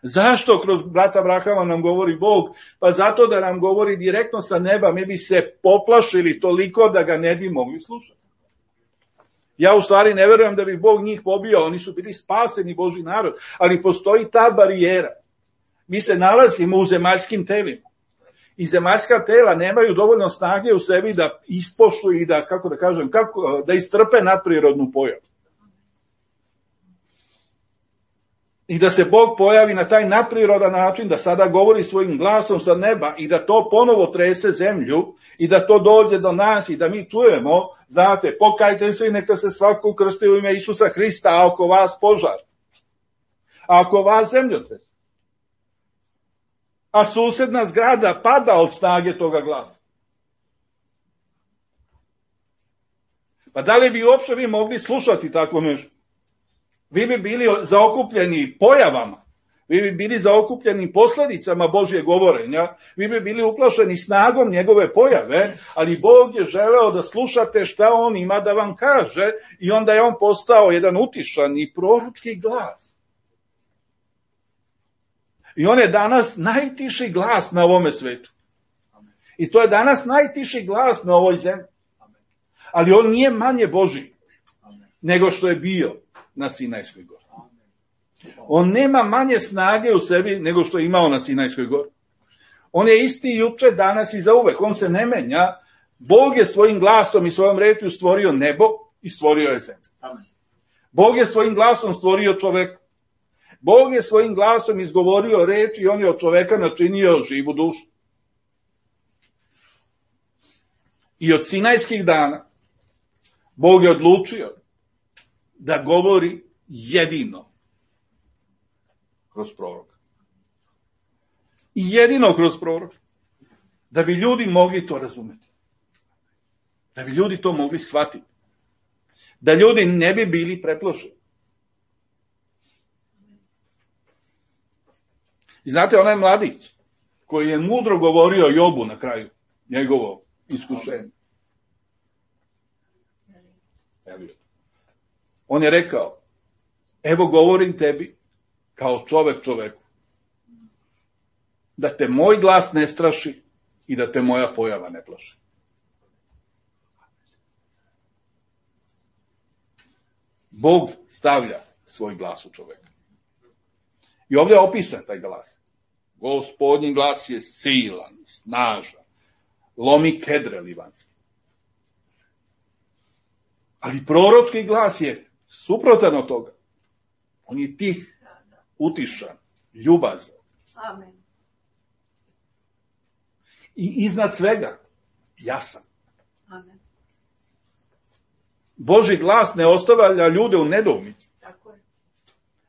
Zašto kroz brata Abrahama nam govori Bog? Pa zato da nam govori direktno sa neba, mi bi se poplašili toliko da ga ne bi mogli slušati. Ja u stvari ne verujem da bi Bog njih pobio, oni su bili spaseni Božji narod, ali postoji ta barijera. Mi se nalazimo u zemaljskim telima. I zemaljska tela nemaju dovoljno snage u sebi da ispoštuju i da, da istrpe nadprirodnu pojavu. I da se Bog pojavi na taj nadprirodan način, da sada govori svojim glasom sa neba i da to ponovo trese zemlju i da to dođe do nas i da mi čujemo, znate, pokajte se i neka se svako krsti u ime Isusa Hrista, a oko vas požar. A oko vas zemljotres. A susedna zgrada pada od snage toga glasa. Pa da li bi uopšte vi mogli slušati tako nešto? Vi bi bili zaokupljeni pojavama, vi bi bili zaokupljeni posledicama Božje govorenja, vi bi bili uplašeni snagom njegove pojave, ali Bog je želeo da slušate šta on ima da vam kaže i onda je on postao jedan utišan i proročki glas. I on je danas najtiši glas na ovome svetu. I to je danas najtiši glas na ovoj zemlji. Ali on nije manje Božji nego što je bio na Sinajskoj gori. On nema manje snage u sebi nego što je imao na Sinajskoj gori. On je isti juče, danas i zauvek. On se ne menja. Bog je svojim glasom i svojom rečju stvorio nebo i stvorio je zemlju. Bog je svojim glasom stvorio čoveka. Bog je svojim glasom izgovorio reč i on je od čoveka načinio živu dušu. I od Sinajskih dana Bog je odlučio da govori jedino kroz proroka. I jedino kroz proroka. Da bi ljudi mogli to razumeti. Da bi ljudi to mogli shvatiti. Da ljudi ne bi bili preplašeni. I znate, onaj mladić koji je mudro govorio Jobu na kraju njegovo iskušenje. On je rekao, evo govorim tebi kao čovek čoveku, da te moj glas ne straši i da te moja pojava ne plaši. Bog stavlja svoj glas u čoveka. I ovdje je opisan taj glas. Gospodnji glas je silan, snažan, lomi kedre livanski. Ali proročki glas je suprotan od toga. On je tih, utišan, ljubazan. Amen. I iznad svega, jasan. Amen. Božji glas ne ostavlja ljude u nedoumici. Tako je.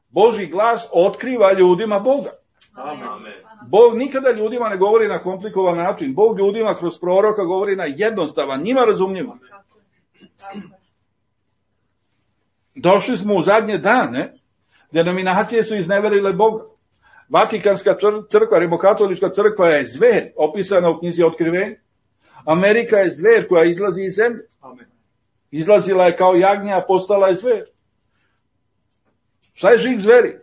Božji glas otkriva ljudima Boga. Amen. Bog nikada ljudima ne govori na komplikovan način. Bog ljudima kroz proroka govori na jednostavan, njima razumljivo. Tako je. Tako je. Došli smo u zadnje dane, denominacije su izneverile Boga. Vatikanska crkva, rimokatolička crkva je zver, opisana u knjizi Otkrivenja. Amerika je zver koja izlazi iz zemlje. Amen. Izlazila je kao jagnja, a postala je zver. Šta je žig zveri?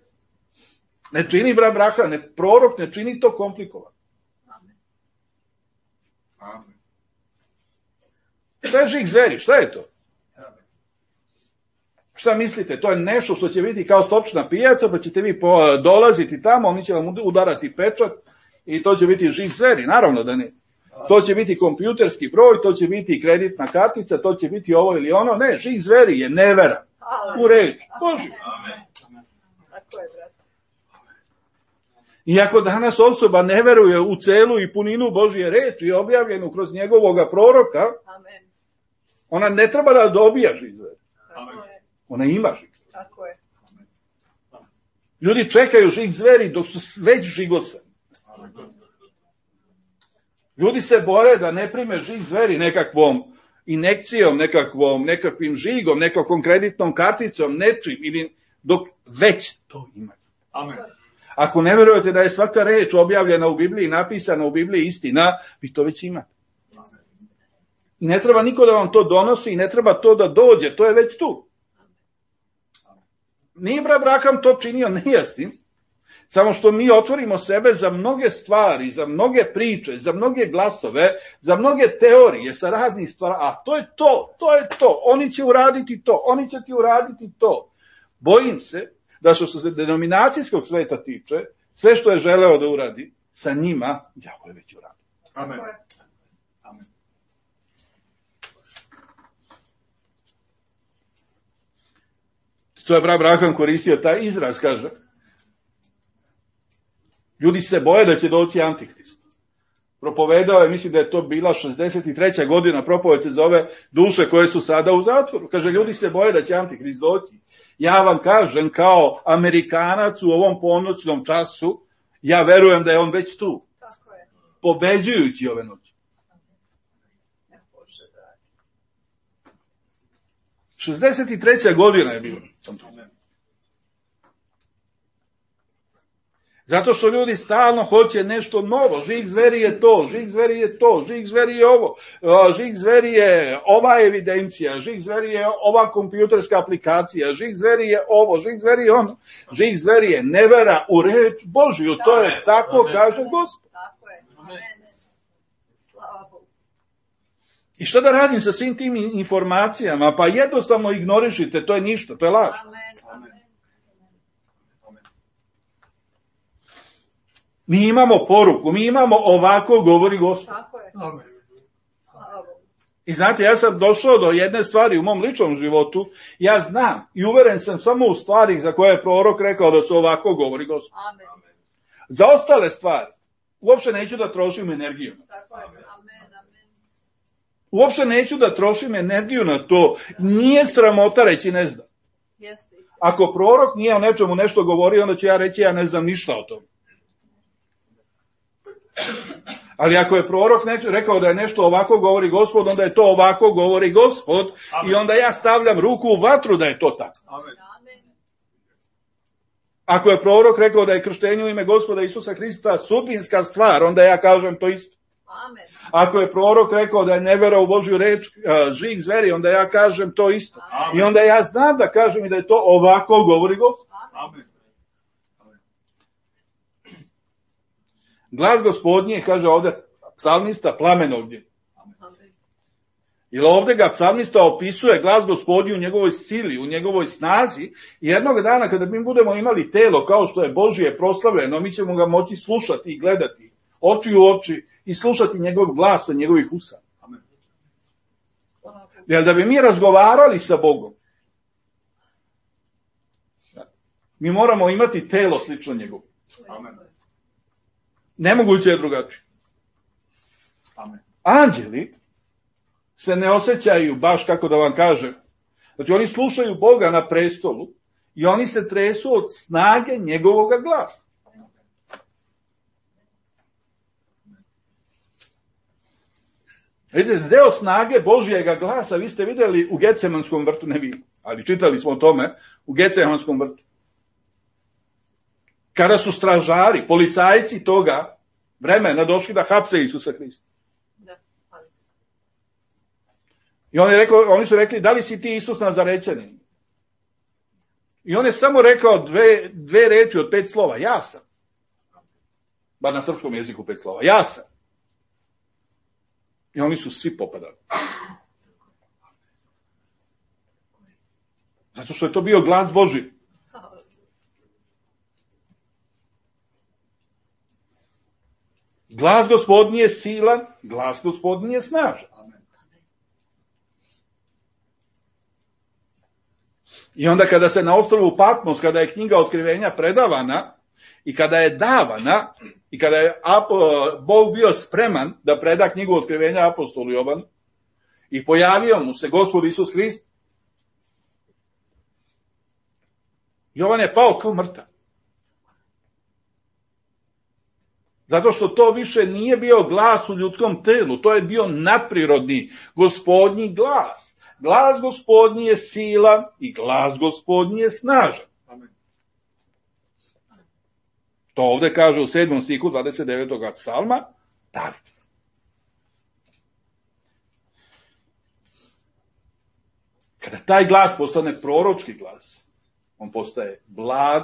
Ne čini braha, prorok ne čini to komplikovano. Amen. Šta je žig zveri? Šta je to? Šta mislite? To je nešto što će biti kao stočna pijaca, pa ćete vi dolaziti tamo, oni će vam udarati pečat i to će biti žig zveri. Naravno da ne. To će biti kompjuterski broj, to će biti kreditna kartica, to će biti ovo ili ono. Ne, žig zveri je nevera. U reč. Boži. Tako je, brate. Iako danas osoba ne veruje u celu i puninu Božje reči objavljenu kroz njegovoga proroka, Amen. ona ne treba da dobija žig zveri. Tako je. Ona ima žig zveri. Tako je. Ljudi čekaju žig zveri dok su već žigosani. Ljudi se bore da ne prime žig zveri nekakvom injekcijom, nekakvim žigom, nekakvom kreditnom karticom, nečim, ili dok već to imaju. Amen. Ako ne vjerujete da je svaka reč objavljena u Bibliji, napisana u Bibliji istina, vi to već imate. I ne treba niko da vam to donosi i ne treba to da dođe, to je već tu. Nije Abraham to činio nejasnim, samo što mi otvorimo sebe za mnoge stvari, za mnoge priče, za mnoge glasove, za mnoge teorije sa raznih stvari, a to je to, oni će uraditi to, oni će ti uraditi to. Bojim se da što se denominacijskog sveta tiče, sve što je želeo da uradi, sa njima, đavo je već uradio. Amen. Amen. To je Abraham koristio taj izraz, kaže. Ljudi se boje da će doći Antihrist. Propovedao je, mislim da je to bila 63. godina, propoved se zove Duše koje su sada u zatvoru. Kaže, ljudi se boje da će Antihrist doći. Ja vam kažem, kao Amerikanac u ovom ponoćnom času, ja verujem da je on već tu. Tako je. Pobeđujući ove noći. 63. godina je bilo. Zato što ljudi stalno hoće nešto novo. Žig zveri je to, žig zveri je to, žig zveri je ovo, žig zveri je ova evidencija, žig zveri je ova kompjuterska aplikacija, žig zveri je ovo, žig zveri je ono. Žig zveri je nevera u reč Božju. To je tako, kaže Gospod. Tako je. Amen. Slava Bogu. I šta da radim sa svim tim informacijama? Pa jednostavno ignorišite, to je ništa, to je laž. Amen. Amen. Mi imamo poruku, mi imamo ovako govori Gospod. Tako je. Amen. Slava Bogu. I znate, ja sam došao do jedne stvari u mom ličnom životu, ja znam i uveren sam samo u stvari za koje je prorok rekao da su ovako govori Gospod. Amen. Za ostale stvari, uopšte neću da trošim energiju. Tako je. Amen. Amen. Uopšte neću da trošim energiju na to. Nije sramota reći ne znam. Jeste isto. Ako prorok nije o nečemu nešto govorio, onda ću ja reći ja ne znam ništa o tome. Ali ako je prorok rekao da je nešto ovako govori Gospod, onda je to ovako govori Gospod. Amen. I onda ja stavljam ruku u vatru da je to tako. Amen. Amen. Ako je prorok rekao da je krštenje u ime Gospoda Isusa Hrista sudbinska stvar, onda ja kažem to isto. Amen. Ako je prorok rekao da je ne vera u Božju reč žig zveri, onda ja kažem to isto. Amen. I onda ja znam da kažem i da je to ovako govori Gospod. Amen. Glas Gospodnji, kaže ovdje psalmista, plamen ognjen. Amen. Jer ovdje ga psalmista opisuje glas Gospodnji u njegovoj sili, u njegovoj snazi. I jednog dana kada mi budemo imali telo kao što je Božje proslavljeno, mi ćemo ga moći slušati i gledati oči u oči i slušati njegov glas sa njegovih usta. Jer da bi mi razgovarali sa Bogom, mi moramo imati telo slično njegovu. Amen. Nemoguće je drugačije. Amen. Anđeli se ne osjećaju baš kako da vam kažem. Znači oni slušaju Boga na prestolu i oni se tresu od snage njegovog glasa. Vidite, deo snage Božjega glasa, vi ste vidjeli u Gecemanskom vrtu, ne vi, ali čitali smo o tome, u Gecemanskom vrtu. Kada su stražari, policajci toga vremena došli da hapse Isusa Hrista. Da. Amen. I oni su rekli, da li si ti Isus Nazarećanin? I on je samo rekao dve reči od 5 slova, ja sam. Bar na srpskom jeziku 5 slova, ja sam. I oni su svi popadali. Zato što je to bio glas Božji. Glas Gospodnji je silan, glas Gospodnji je snažan. I onda kada se na ostrvu Patmos, kada je knjiga Otkrivenja predavana i kada je davana i kada je Bog bio spreman da preda knjigu Otkrivenja apostolu Jovanu i pojavio mu se Gospod Isus Hrist, Jovan je pao kao mrtav. Zato što to više nije bio glas u ljudskom telu, to je bio nadprirodni Gospodnji glas. Glas Gospodnji je silan i glas Gospodnji je snažan. Amen. To ovdje kaže u 7. stihu 29. psalma David. Kada taj glas postane proročki glas, on postaje blag,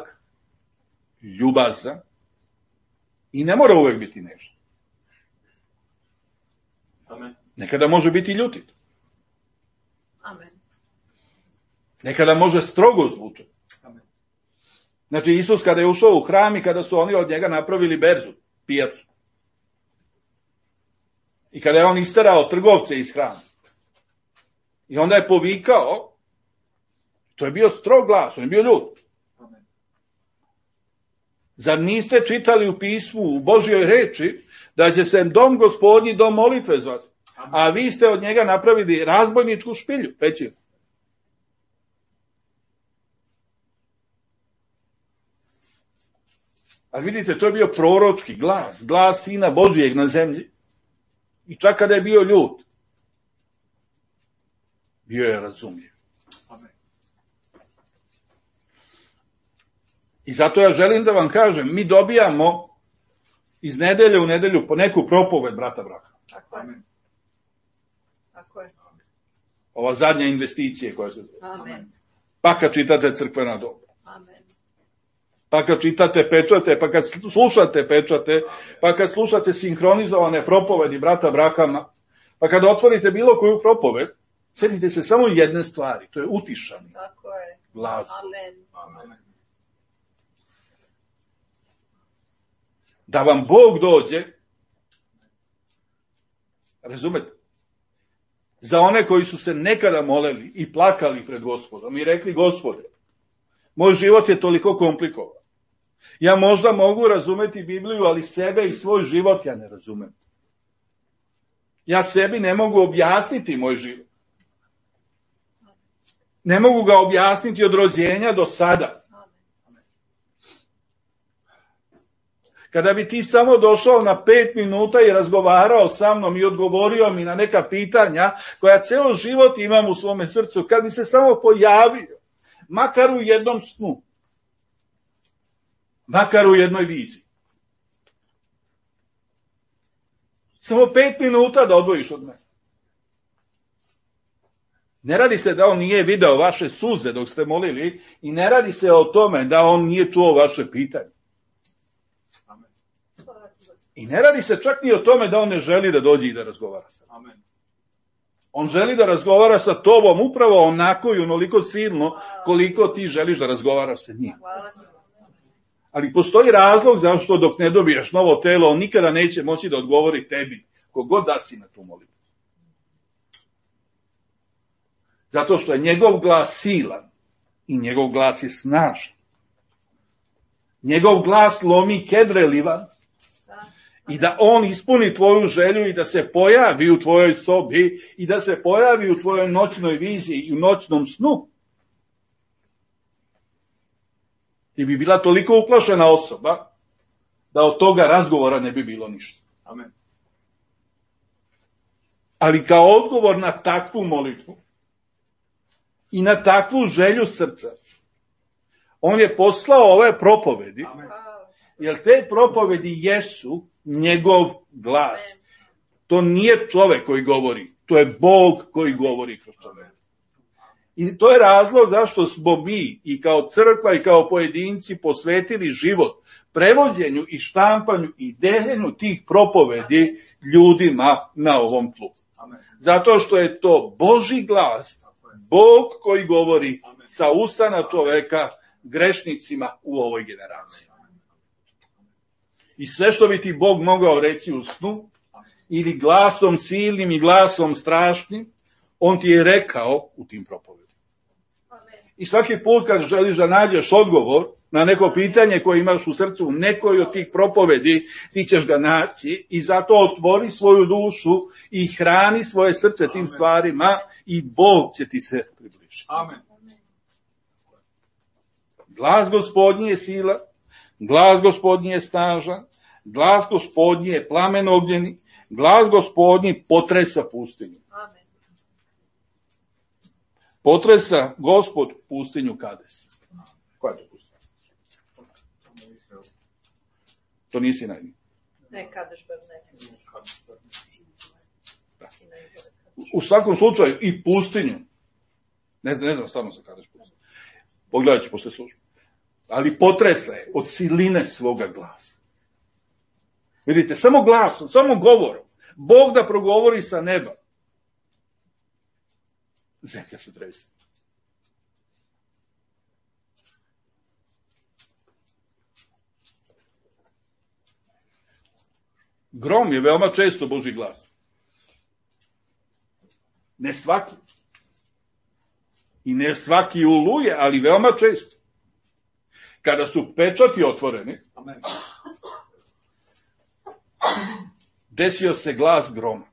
ljubazan i ne mora uvek biti nežan. Amen. Nekada može biti ljutit. Amen. Nekada može strogo zvučati. Amen. Znači, Isus kada je ušao u hram i kada su oni od njega napravili berzu, pijacu. I kada je on isterao trgovce iz hrama. I onda je povikao, to je bio strog glas, on je bio ljut. Amen. Zar niste čitali u pismu, u Božjoj reči, da će se dom Gospodnji dom molitve zvati? A vi ste od njega napravili razbojničku špilju, pećinu. Ali vidite, to je bio proročki glas, glas Sina Božijeg na zemlji. I čak kada je bio ljut, bio je razumljiv. Amen. I zato ja želim da vam kažem, mi dobijamo iz nedelje u nedelju po neku propoved brata Braha. Tako je. Amen. Tako je. Ova zadnja investicija koja se... Amen. Pa kad čitate crkvena doba, Amen. pa kad čitate pečate, pa kad slušate pečate, pa kad slušate sinhronizovane propovedi brata Brahama, pa kad otvorite bilo koju propoved, sjetite se samo jedne stvari, to je utišani Tako je. glas. Amen. Amen. Da vam Bog dođe, razumete, za one koji su se nekada moleli i plakali pred Gospodom i rekli, Gospode, moj život je toliko komplikovan. Ja možda mogu razumeti Bibliju, ali sebe i svoj život ja ne razumem. Ja sebi ne mogu objasniti moj život. Ne mogu ga objasniti od rođenja do sada. Kada bi ti samo došao na 5 minuta i razgovarao sa mnom i odgovorio mi na neka pitanja koja ceo život imam u svome srcu, kad bi se samo pojavio, makar u jednom snu, makar u jednoj viziji. Samo 5 minuta da odvojiš od mene. Ne radi se da on nije video vaše suze dok ste molili i ne radi se o tome da on nije čuo vaše pitanje. I ne radi se čak ni o tome da on ne želi da dođe i da razgovara sa nama. On želi da razgovara sa tobom upravo onako i onoliko silno koliko ti želiš da razgovara sa njim. Ali postoji razlog zašto dok ne dobiješ novo telo, on nikada neće moći da odgovori tebi, kogod da si na tu molitvu. Zato što je njegov glas silan i njegov glas je snažan. Njegov glas lomi kedre livan i da on ispuni tvoju želju i da se pojavi u tvojoj sobi i da se pojavi u tvojoj noćnoj viziji i u noćnom snu. Ti bi bila toliko uplašena osoba da od toga razgovora ne bi bilo ništa. Amen. Ali kao odgovor na takvu molitvu i na takvu želju srca, on je poslao ove propovedi, jer te propovedi jesu njegov glas. To nije čovek koji govori, to je Bog koji govori kroz čoveka. I to je razlog zašto smo mi i kao crkva i kao pojedinci posvetili život prevođenju i štampanju i deljenju tih propovedi ljudima na ovom tlu. Zato što je to Božji glas, Bog koji govori sa usana čoveka grešnicima u ovoj generaciji. I sve što bi ti Bog mogao reći u snu, ili glasom silnim i glasom strašnim, on ti je rekao u tim propovedima. I svaki put kad želiš da nađeš odgovor na neko pitanje koje imaš u srcu, u nekoj od tih propovedi, ti ćeš ga naći i zato otvori svoju dušu i hrani svoje srce tim stvarima i Bog će ti se približiti. Amen. Glas Gospodnji je sila, glas Gospodnji je snažan, glas Gospodnji je plamen ognjeni, glas Gospodnji potresa pustinju. Amen. Potresa Gospod pustinju Kades. Koja je to pustinja? To nisi najmi. Ne, Kadeš Barne. U svakom slučaju i pustinju. Ne znam stvarno za Kadeš pustinju. Pogledat ću posle službe. Ali potresa je od siline svoga glasa. Vidite, samo glasom, samo govorom. Bog da progovori sa neba. Zemlja se trese. Grom je veoma često Božji glas. Ne svaki. I ne svaki uluje, ali veoma često. Kada su pečati otvoreni, Amen. desio se glas groma.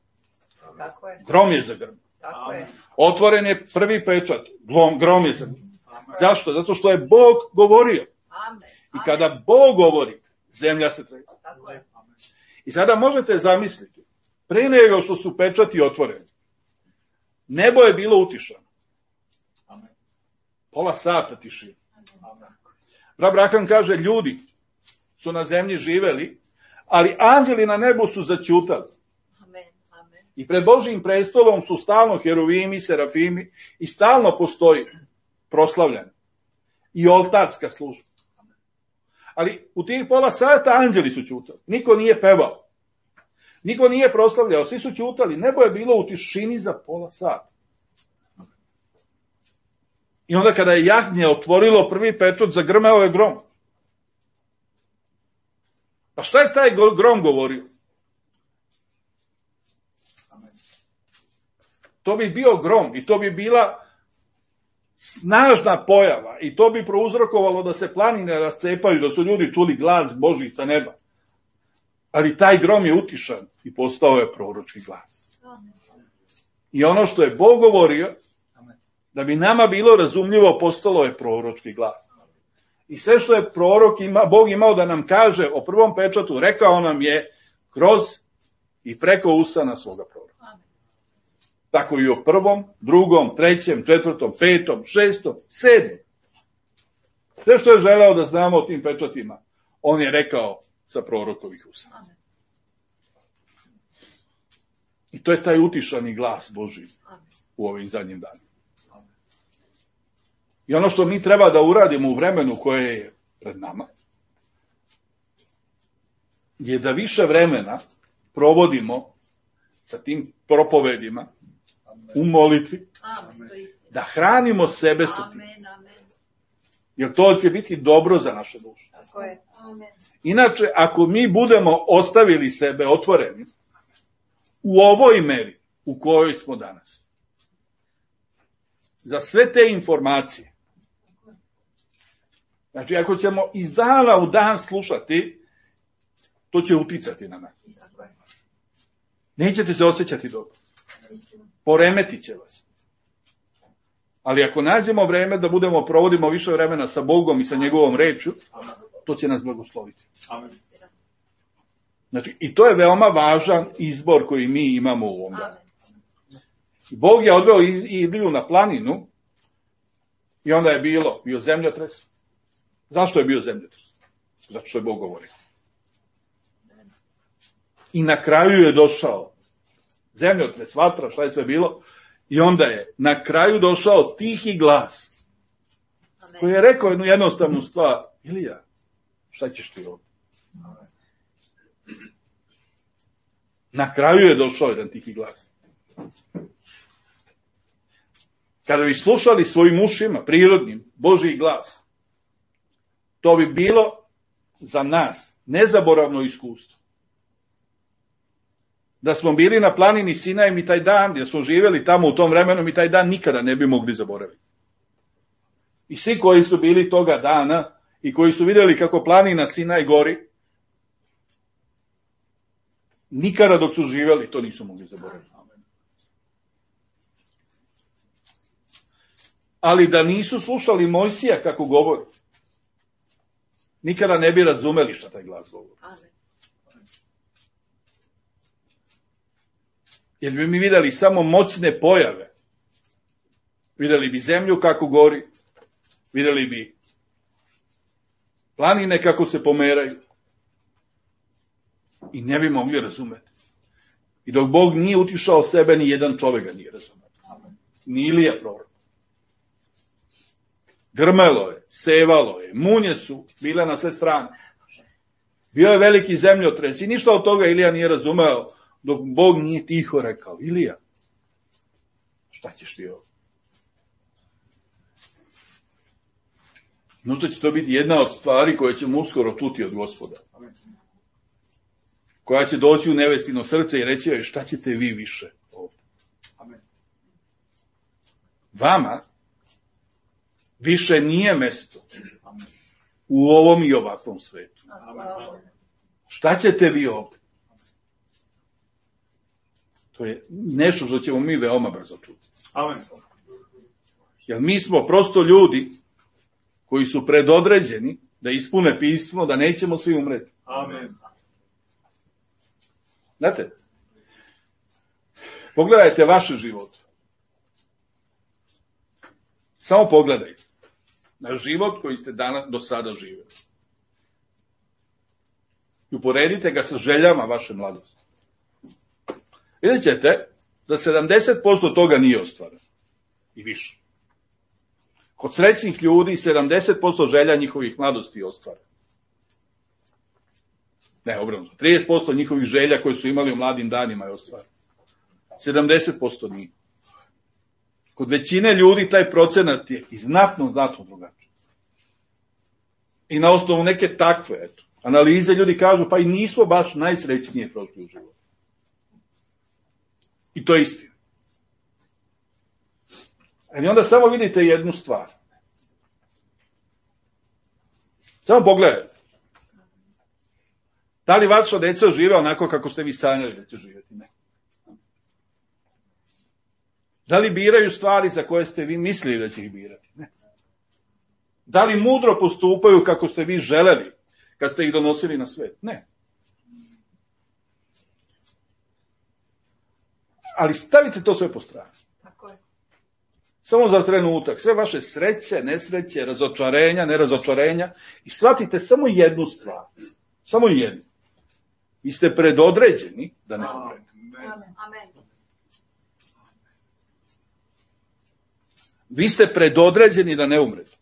Tako je. Grom je zagrmio. Tako je. Otvoren je prvi pečat. Grom je zagrmio. Zašto? Zato što je Bog govorio. Amen. I kada Bog govori, zemlja se trese. Tako je. I sada možete zamisliti, pre nego što su pečati otvoreni, nebo je bilo utišano. Amen. Pola sata tišina. Amen. Abraham kaže, ljudi su na zemlji živeli, ali anđeli na nebu su zaćutali. Amen. Amen. I pred Božjim prestolom su stalno heruvimi, serafimi i stalno postoji proslavljanje i oltarska služba. Ali u tih pola sata anđeli su ćutali. Niko nije pevao. Niko nije proslavljao. Svi su ćutali. Nebo je bilo u tišini za pola sata. I onda kada je jagnje otvorilo prvi pečat, zagrmeo je grom. Pa šta je taj grom govorio? To bi bio grom i to bi bila snažna pojava i to bi prouzrokovalo da se planine rascepaju, da su ljudi čuli glas Božji sa neba. Ali taj grom je utišan i postao je proročki glas. I ono što je Bog govorio, da bi nama bilo razumljivo, postalo je proročki glas. I sve što je Bog imao da nam kaže o prvom pečatu, rekao nam je kroz i preko usana svoga proroka. Tako i o prvom, drugom, trećem, četvrtom, petom, šestom, sedmom. Sve što je želeo da znamo o tim pečatima, on je rekao sa prorokovih usana. I to je taj utišani glas Božji u ovim zadnjim danima. I ono što mi treba da uradimo u vremenu koje je pred nama, je da više vremena provodimo sa tim propovedima u molitvi, da hranimo sebe sa tim. Jer to će biti dobro za naše duše. Inače, ako mi budemo ostavili sebe otvoreni u ovoj meri u kojoj smo danas, za sve te informacije, znači ako ćemo iz dana u dan slušati, to će uticati na nas. Nećete se osjećati dobro. Poremetit će vas. Ali ako nađemo vreme da provodimo više vremena sa Bogom i sa njegovom rečju, to će nas blagosloviti. Znači, i to je veoma važan izbor koji mi imamo u ovom danu. Bog je odveo Iliju na planinu i onda je bio zemljotres. Zašto je bio zemljotres? Zato što je Bog govorio. I na kraju je došao zemljotres, vatra, šta je sve bilo, i onda je na kraju došao tihi glas koji je rekao jednu jednostavnu stvar: Ilija, šta ćeš ti ovdje? Na kraju je došao jedan tihi glas. Kada bi slušali svojim ušima, prirodnim, Božji glas, to bi bilo za nas nezaboravno iskustvo. Da smo bili na planini Sinaj, mi taj dan, gdje smo živjeli tamo u tom vremenu, mi taj dan nikada ne bi mogli zaboraviti. I svi koji su bili toga dana i koji su vidjeli kako planina Sinaj gori, nikada dok su živjeli to nisu mogli zaboraviti. Ali da nisu slušali Mojsija kako govori, nikada ne bi razumeli šta taj glas govori. Jer bi mi vidjeli samo moćne pojave. Vidjeli bi zemlju kako gori, vidjeli bi planine kako se pomeraju i ne bi mogli razumeti. I dok Bog nije utišao sebe, ni jedan čovjek ga nije razumio. Ni Ilija prorok. Grmelo je, sevalo je, munje su bile na sve strane. Bio je veliki zemljotres i ništa od toga Ilija nije razumeo, dok Bog nije tiho rekao: Ilija, šta ćeš ti ovo? Možda će to biti jedna od stvari koje ćemo uskoro čuti od Gospoda. Koja će doći u nevestino srce i reći joj: šta ćete vi više ovdje? Vama više nije mesto u ovom i ovakvom svetu. Šta ćete vi ovdje? To je nešto što ćemo mi veoma brzo čuti. Amen. Jer mi smo prosto ljudi koji su predodređeni da ispune pismo, da nećemo svi umreti. Amen. Znate, pogledajte vaš život. Samo pogledajte na život koji ste do sada živjeli. I uporedite ga sa željama vaše mladosti. Vidjet ćete da 70% toga nije ostvareno. I više. Kod srećnih ljudi 70% želja njihovih mladosti je ostvareno. Ne, obrnuto. 30% njihovih želja koje su imali u mladim danima je ostvareno. 70% nije. Kod većine ljudi taj procenat je i znatno drugačiji. I na osnovu neke takve analize ljudi kažu: pa i nismo baš najsrećnije prošli u životu. I to je istina. I onda samo vidite jednu stvar. Samo pogledajte. Da li vaša djeca žive onako kako ste vi sanjali da će živjeti? Ne. Da li biraju stvari za koje ste vi mislili da će ih birati? Ne. Da li mudro postupaju kako ste vi želeli kad ste ih donosili na svet? Ne. Ali stavite to sve po stranu. Samo za trenutak. Sve vaše sreće, nesreće, razočarenja, nerazočarenja. I shvatite samo jednu stvar. Samo jednu. Vi ste predodređeni da ne umrete. Amen. Amen. Vi ste predodređeni da ne umrete.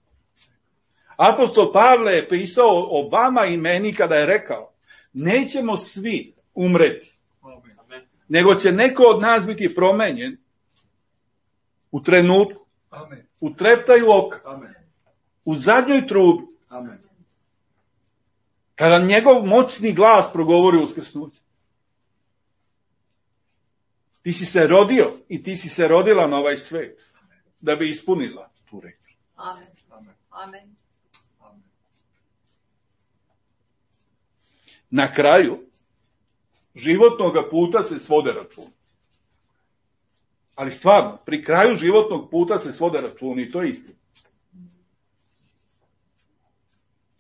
Apostol Pavle je pisao o vama i meni kada je rekao, nećemo svi umreti, nego će neko od nas biti promenjen u trenutku, u treptaju oka, u zadnjoj trubi, kada njegov moćni glas progovori uskrsnuće. Ti si se rodio i ti si se rodila na ovaj svet da bi ispunila tu reč. Amen. Amen. Na kraju životnog puta se svode računi. Ali stvarno, pri kraju životnog puta se svode računi i to je istina.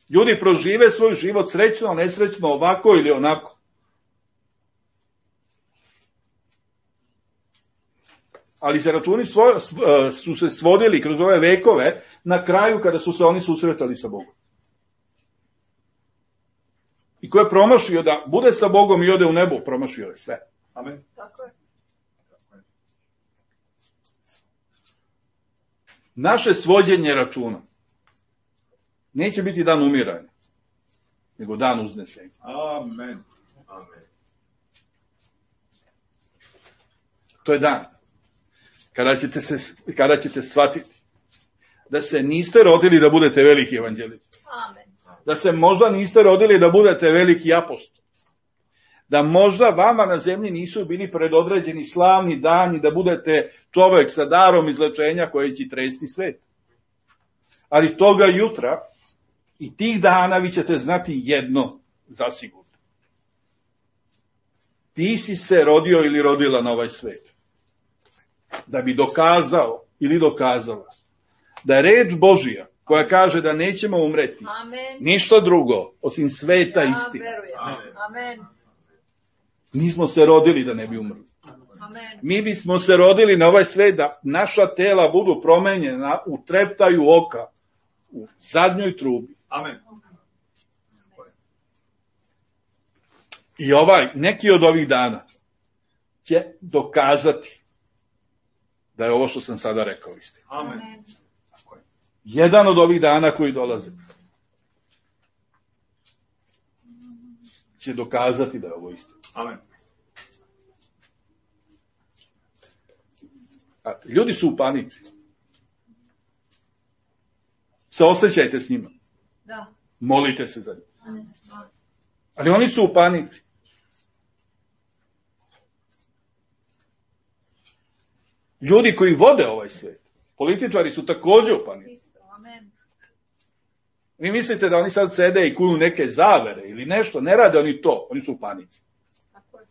Ljudi prožive svoj život srećno, nesrećno, ovako ili onako. Ali se računi su se svodili kroz ove vekove na kraju kada su se oni susretali sa Bogom. I ko je promašio da bude sa Bogom i ode u nebo, promašio je sve. Amen. Tako je. Naše svođenje računa neće biti dan umiranja, nego dan uznesenja. Amen. To je dan kada ćete shvatiti da se niste rodili da budete veliki evanđelisti. Amen. Da se možda niste rodili da budete veliki apostol. Da možda vama na zemlji nisu bili predodređeni slavni dani da budete čovek sa darom izlečenja koji će tresti svet. Ali toga jutra i tih dana vi ćete znati jedno zasigurno. Ti si se rodio ili rodila na ovaj svet. Da bi dokazao ili dokazala da je reč Božija koja kaže da nećemo umreti, Amen. ništa drugo osim sveta istine. Verujem. Amen. Nismo se rodili da ne bi umrli. Amen. Mi bismo se rodili na ovaj svet da naša tela budu promenjena u treptaju oka, u zadnjoj trubi. Amen. I neki od ovih dana će dokazati da je ovo što sam sada rekao istina. Amen. Jedan od ovih dana koji dolaze će dokazati da je ovo istina. Amen. Ljudi su u panici. Saosećajte s njima. Da. Molite se za njih. Amen. Ali oni su u panici. Ljudi koji vode ovaj svet, političari su također u panici. Isto. Amen. Vi mislite da oni sad sede i kuju neke zavere ili nešto, ne rade oni to, oni su u panici. Tako je.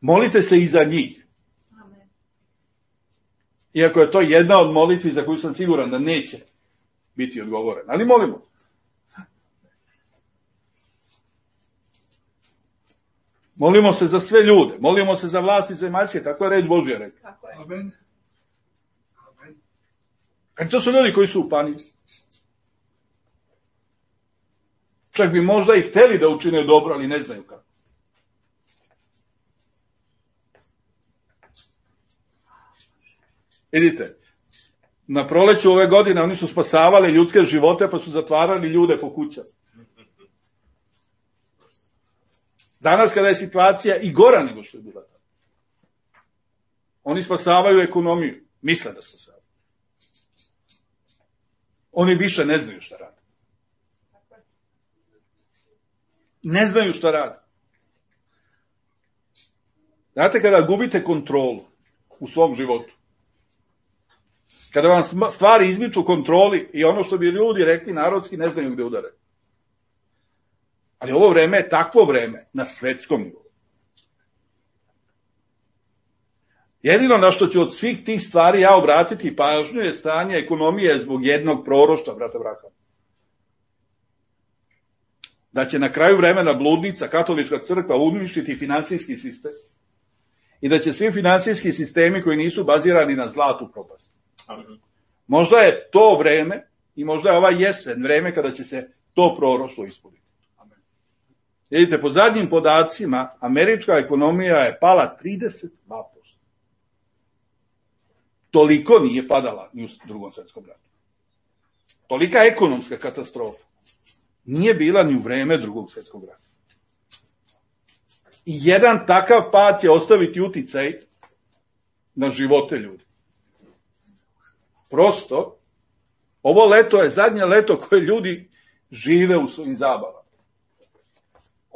Molite se i za njih. Amen. Iako je to jedna od molitvi za koju sam siguran da neće biti odgovorena. Ali molimo. Molimo se za sve ljude. Molimo se za vlasti zemaljske. Tako je reč Božja rekla. Tako je. Amen. Kad to su ljudi koji su u panici. Čak bi možda i hteli da učine dobro, ali ne znaju kako. Vidite, na proleću ove godine oni su spasavali ljudske živote, pa su zatvarali ljude po kućama. Danas kada je situacija i gora nego što je bila tada, oni spasavaju ekonomiju, misle da spasavaju. Oni više ne znaju šta rade. Ne znaju šta rade. Znate, kada gubite kontrolu u svom životu, kada vam stvari izmiču kontroli i ono što bi ljudi rekli narodski, ne znaju gde udare. Ali ovo vreme je takvo vreme na svetskom nivou. Jedino na što ću od svih tih stvari ja obratiti pažnju je stanje ekonomije zbog jednog proroštva, brata Brahama. Da će na kraju vremena bludnica, katolička crkva, uništiti finansijski sistem i da će svi finansijski sistemi koji nisu bazirani na zlatu propasti. Možda je to vreme i možda je ova jesen vreme kada će se to proroštvo ispuniti. Vidite, po zadnjim podacima, američka ekonomija je pala 32%. Toliko nije padala ni u Drugom svjetskom ratu. Tolika ekonomska katastrofa nije bila ni u vreme Drugog svjetskog rata. I jedan takav pad će ostaviti uticaj na živote ljudi. Prosto, ovo leto je zadnje leto koje ljudi žive u svojim zabavama.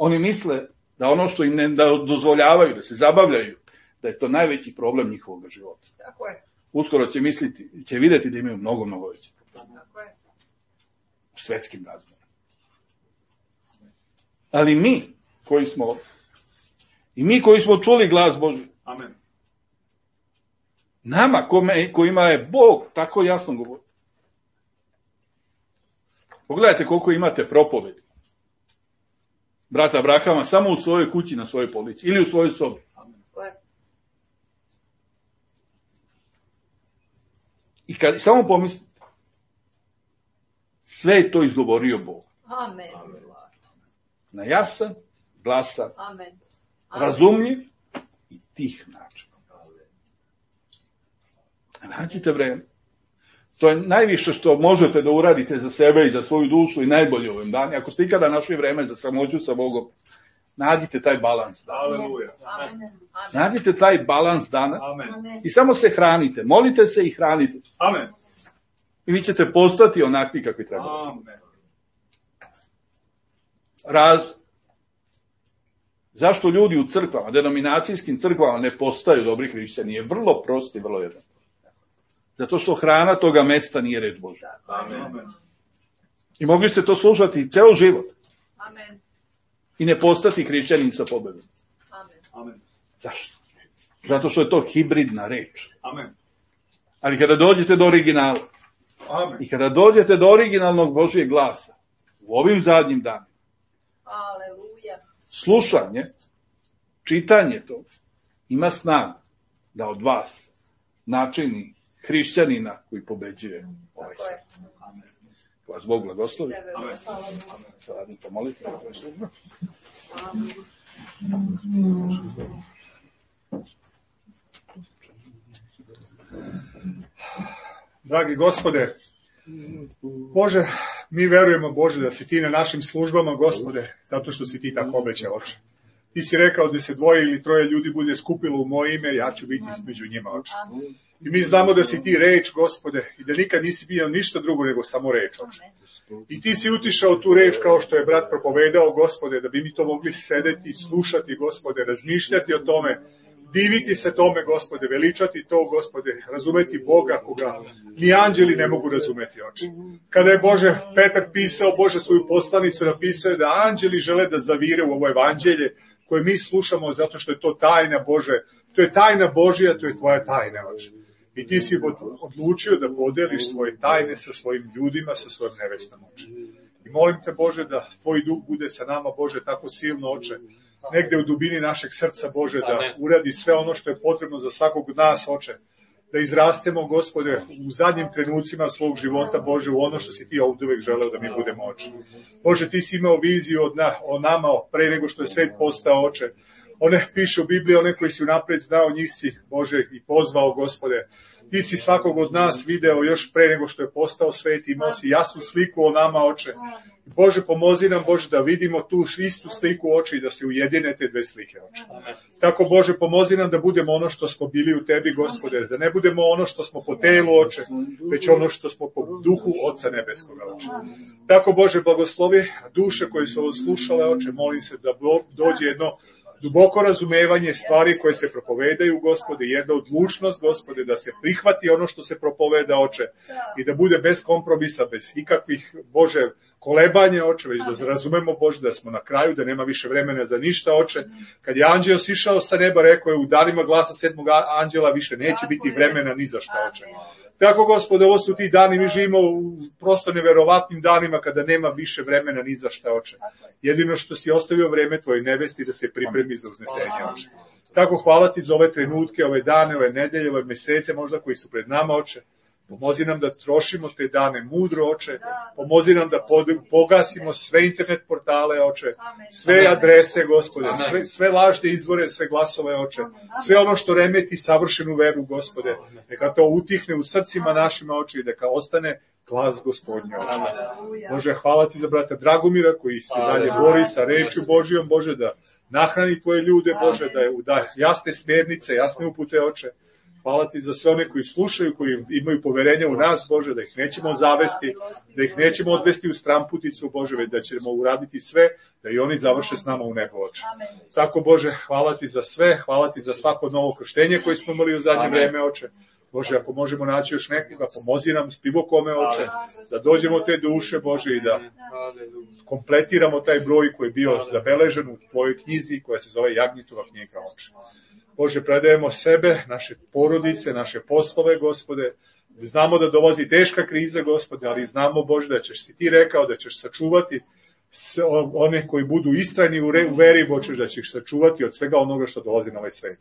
Oni misle da ono što im ne dozvoljavaju, da se zabavljaju, da je to najveći problem njihovog života. Tako je. Uskoro će vidjeti da imaju mnogo, mnogo veći problem. Tako je. U svetskim razmjerima. Ali mi koji smo ovdje, i mi koji smo čuli glas Božji, Amen. nama kojima je Bog tako jasno govori. Pogledajte koliko imate propovedi brata Abrahama samo u svojoj kući, na svojoj polici ili u svojoj sobi. Tako je. I kad samo pomislite, sve je to izgovorio Bog. Amen. Na jasan, glasan, Amen. razumljiv i tih način. Nađite vreme. To je najviše što možete da uradite za sebe i za svoju dušu i najbolje u ovim dani. Ako ste ikada našli vreme za samoću sa Bogom, nađite taj balans dana. Aleluja. Amen. Nađite taj balans dana Amen. Amen. i samo se hranite. Molite se i hranite. Amen. I vi ćete postati onakvi kakvi treba. Amen. Zašto ljudi u crkvama, denominacijskim crkvama ne postaju dobri hrišćani je vrlo prost i vrlo jednostavno. Zato što hrana toga mesta nije reč Božja. Amen. I mogli ste to slušati ceo život Amen. i ne postati hrišćanin sa pobedom. Amen. Amen. Zašto? Zato što je to hibridna reč. Amen. Ali kada dođete do originala Amen. i kada dođete do originalnog Božjeg glasa u ovim zadnjim danima, Aleluja. slušanje, čitanje to ima snagu da od vas načini hrišćanina koji pobeđuje ovaj Tako je. svijet. Vas Bog blagoslovi. Tebe, Amen. hvala Bogu. Sad pomolite. Amen. Dragi Gospode, Bože, mi verujemo, Bože, da si ti na našim službama, Gospode, zato što si ti tako obećao, Oče. Ti si rekao da se 2 ili 3 ljudi bude skupilo u moje ime, ja ću biti između njima, Oče. I mi znamo da si ti reč, Gospode, i da nikad nisi bio ništa drugo nego samo reč, Oče. I ti si utišao tu reč kao što je brat propovedao, Gospode, da bi mi to mogli sedeti, slušati, Gospode, razmišljati o tome, diviti se tome, Gospode, veličati to, Gospode, razumeti Boga koga ni anđeli ne mogu razumeti, Oče. Kada je Bože Petar pisao, Bože, svoju poslanicu, napisao je da anđeli žele da zavire u ovo evanđelje koje mi slušamo zato što je to tajna, Bože, to je tajna Božja, to je tvoja tajna, Oče. I ti si odlučio da podeliš svoje tajne sa svojim ljudima, sa svojim nevestama, Oče. I molim te, Bože, da tvoj duh bude sa nama, Bože, tako silno, Oče, negde u dubini našeg srca, Bože, da uradi sve ono što je potrebno za svakog od nas, Oče, da izrastemo, Gospode, u zadnjim trenucima svog života, Bože, u ono što si ti ovdje uvek želeo da mi budemo, Oče. Bože, ti si imao viziju o nama pre nego što je svet postao, Oče. One piše u Bibliji, one koji si unapred znao, njih si, Bože, i pozvao, Gospode. Ti si svakog od nas video još pre nego što je postao svet, imao si jasnu sliku o nama, Oče. Bože, pomozi nam, Bože, da vidimo tu istu sliku, Oče, i da se ujedine te 2 slike, Oče. Tako, Bože, pomozi nam da budemo ono što smo bili u tebi, Gospode, da ne budemo ono što smo po telu, Oče, već ono što smo po duhu Oca Nebeskoga, Oče. Tako, Bože, blagoslovi duše koje su ovo slušale, Oče, molim se da dođe jedno duboko razumevanje stvari koje se propovedaju, Gospode, jedna odlučnost, Gospode, da se prihvati ono što se propoveda, Oče, i da bude bez kompromisa, bez ikakvih, Bože, kolebanja, Oče, već da razumemo, Bože, da smo na kraju, da nema više vremena za ništa, Oče. Kad je anđeo sišao sa neba, rekao je u danima glasa 7. anđela više neće biti vremena ni za šta, Oče. Tako, Gospode, ovo su ti dani, mi živimo u prosto neverovatnim danima kada nema više vremena ni za šta, Oče. Jedino što si ostavio vreme tvojoj nevesti da se pripremi za uznesenje, Oče. Tako, hvala ti za ove trenutke, ove dane, ove nedelje, ove mesece, možda koji su pred nama, Oče. Pomozi nam da trošimo te dane mudro, Oče. Pomozi nam da pogasimo sve internet portale, Oče. Sve adrese, Gospode. Sve lažne izvore, sve glasove, Oče. Sve ono što remeti savršenu veru, Gospode. Neka to utihne u srcima našima, Oče, i neka ostane glas Gospodnja, Oče. Bože, hvala ti za brata Dragomira koji se dalje bori sa rečju Božijom, Bože, da nahrani tvoje ljude, Bože, da jasne smjernice, jasne upute, Oče. Hvala ti za sve one koji slušaju, koji imaju poverenje u nas, Bože, da ih nećemo zavesti, da ih nećemo odvesti u stramputicu, Bože, već da ćemo uraditi sve, da i oni završe s nama u nebo, Oče. Tako, Bože, hvala ti za sve, hvala ti za svako novo krštenje koje smo imali u zadnje vreme, Oče. Bože, ako možemo naći još nekoga, pomozi nam s bilo kome, Oče, da dođemo te duše, Bože, i da kompletiramo taj broj koji je bio zabeležen u tvojoj knjizi, koja se zove Jagnjetova knjiga, Oče. Bože, predajemo sebe, naše porodice, naše poslove, Gospode. Znamo da dolazi teška kriza, Gospode, ali znamo, Bože, da ćeš si ti rekao, da ćeš sačuvati one koji budu istrajni u veri, Bože, da ćeš sačuvati od svega onoga što dolazi na ovaj svet.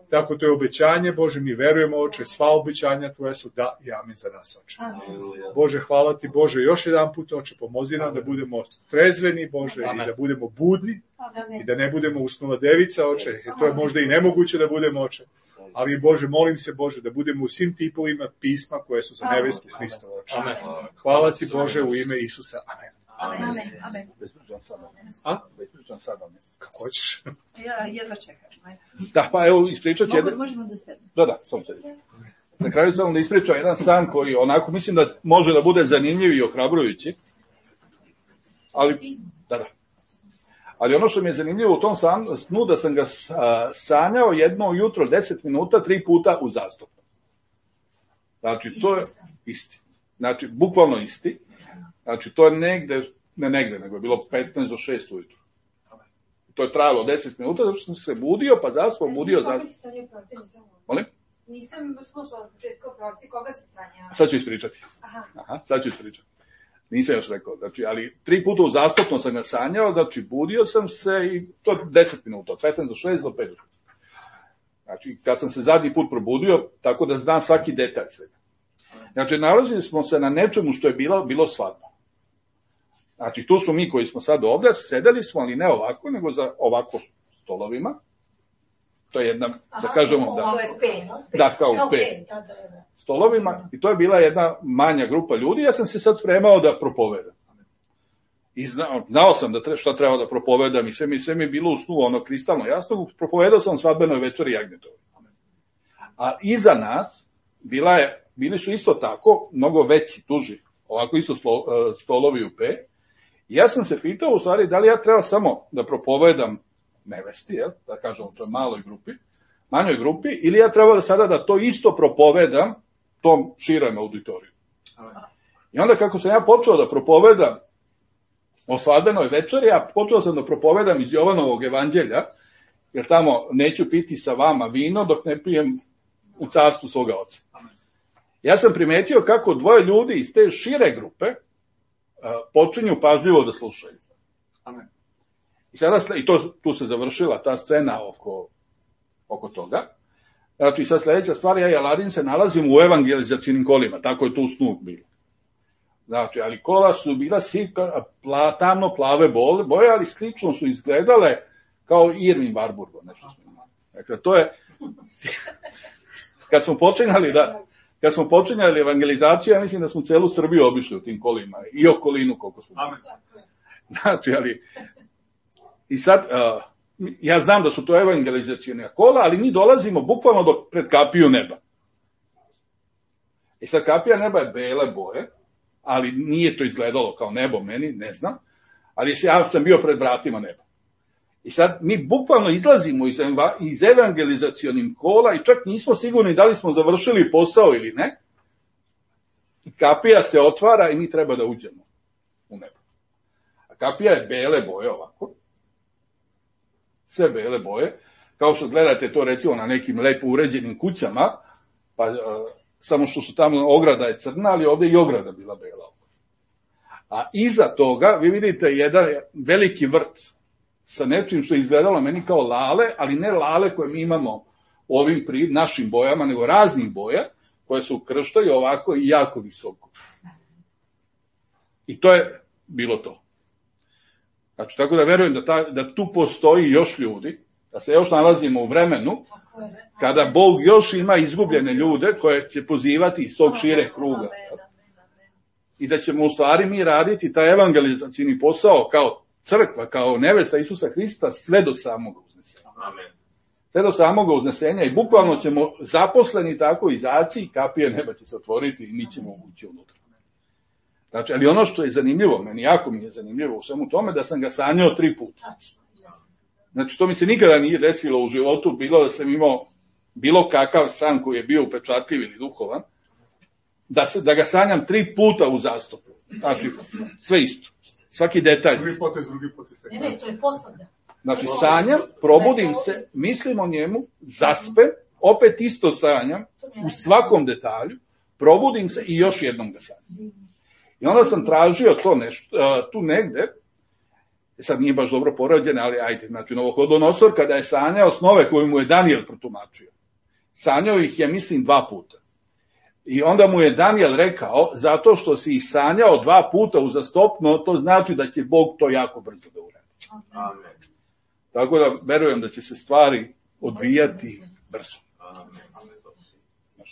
Tako to je obećanje, Bože, mi verujemo, Oče, sva obećanja tvoje su da i amin za nas, Oče. Bože, hvala ti, Bože, još jedan put, Oče, pomozi nam da budemo trezveni, Bože, i da budemo budni, i da ne budemo usnula devica, Oče, jer to je možda i nemoguće da budemo, Oče. Ali, Bože, molim se, Bože, da budemo u svim tipovima pisma koje su za nevestu Hristova, Oče. Hvala ti, Bože, u ime Isusa. Amen. Amen. Amen. Kako hoćeš? Ja jedva čekam. Da, pa evo ispričat ću jedan... Možemo da sedem. Da, samo sedi. Na kraju samo da ispričam jedan san koji onako mislim da može da bude zanimljiv i ohrabrujući. Ali, Ali ono što mi je zanimljivo u tom snu, da sam ga sanjao jedno jutro 10 minuta 3 puta uzastopno. Znači, to je isti. Znači, bukvalno isti. Znači, to je negde, nego je bilo 15 do 6 ujutru. To je trajalo 10 minuta, zato što sam se budio, pa zaspao, budio, zaspao. Koga si sanjao, prosti, nisam ovo. Molim? Nisam slušala od početka, prosti, koga si sanjao? Sad ću ispričati. Sad ću ispričati. Nisam još rekao, znači, ali 3 puta uzastopno sam ga sanjao, znači, budio sam se i to 10 minuta, od 15 do 6 do 5. Znači, kad sam se zadnji put probudio, tako da znam svaki detalj svega. Znači, nalazili smo se na nečemu što je bilo svadba. Znači, tu smo mi koji smo sad ovdje, sedeli smo, ali ne ovako, nego za ovako stolovima. To je jedna, da kažemo, da... To je pen. Da, kao pen. Stolovima, i to je bila jedna manja grupa ljudi, ja sam se sad spremao da propovedam. I znao sam šta treba da propovedam i sve mi je bilo u snu ono kristalno jasno, propovedao sam svadbenoj večeri Jagnjetovoj. A iza nas bili su isto tako, mnogo veći, tuži, ovako isto stolovi u P. I ja sam se pitao u stvari da li ja treba samo da propovedam nevesti, da kažem u toj manjoj grupi, ili ja treba da sada da to isto propovedam tom širem auditoriju. I onda kako sam ja počeo da propovedam o svadbenoj večeri, ja počeo sam da propovedam iz Jovanovog evanđelja, jer tamo neću piti sa vama vino dok ne pijem u carstvu svoga oca. Ja sam primetio kako 2 ljudi iz te šire grupe počinju pažljivo da slušaju. Amen. I tu se završila ta scena oko toga. Znači, sad sljedeća stvar, ja i Aladin se nalazimo u evangelizacijnim kolima, tako je tu snu bilo. Znači, ali kola su bila tamno plave boje, ali slično su izgledale kao Irving Warburg, nešto smo imali. Dakle, to je... Kad smo počinjali evangelizaciju, ja mislim da smo celu Srbiju obišli u tim kolima i okolinu koliko smo. Amen. Znači, ali... I sad, ja znam da su to evangelizacijne kola, ali mi dolazimo bukvalno pred kapiju neba. I sad kapija neba je bele boje, ali nije to izgledalo kao nebo meni, ne znam, ali ja sam bio pred vratima neba. I sad mi bukvalno izlazimo iz evangelizacionim kola i čak nismo sigurni da li smo završili posao ili ne. I kapija se otvara i mi treba da uđemo u nebo. A kapija je bele boje ovako. Sve bele boje. Kao što gledate to recimo na nekim lepo uređenim kućama, pa samo što su tamo ograda je crna, ali ovdje i ograda bila bela. A iza toga vi vidite jedan veliki vrt sa nečim što je izgledalo meni kao lale, ali ne lale koje mi imamo u ovim našim bojama, nego raznih boja, koje su krštaju ovako i jako visoko. I to je bilo to. Znači, tako da verujem da tu postoji još ljudi, da se još nalazimo u vremenu kada Bog još ima izgubljene ljude koje će pozivati iz tog šire kruga. I da ćemo u stvari mi raditi taj evangelizacijni posao kao crkva, kao nevesta Isusa Hrista sve do samog uznesenja. Sve do samog uznesenja i bukvalno ćemo zaposleni tako izaći, kapije neba će se otvoriti i mi ćemo ući unutra. Znači, ali ono što je zanimljivo, meni jako mi je zanimljivo u svemu tome, da sam ga sanjao 3 puta. Znači, to mi se nikada nije desilo u životu, bilo da sam imao bilo kakav san koji je bio upečatljiv ili duhovan, da ga sanjam 3 puta uzastopno. Znači, sve isto. Svaki detalj. Drugi potez. Ne, to je potvrda. Znači, sanjam, probudim se, mislim o njemu, zaspem, opet isto sanjam, u svakom detalju, probudim se i još jednom ga sanjam. I onda sam tražio to nešto, tu negde, sad nije baš dobro porađeno, ali ajde, znači Novohodonosor kada je sanjao snove koje mu je Danijel protumačio, sanjao ih je, mislim, 2 puta. I onda mu je Danijel rekao, zato što si ih sanjao 2 puta uzastopno, to znači da će Bog to jako brzo da uradi. Amen. Tako da verujem da će se stvari odvijati brzo. Amen.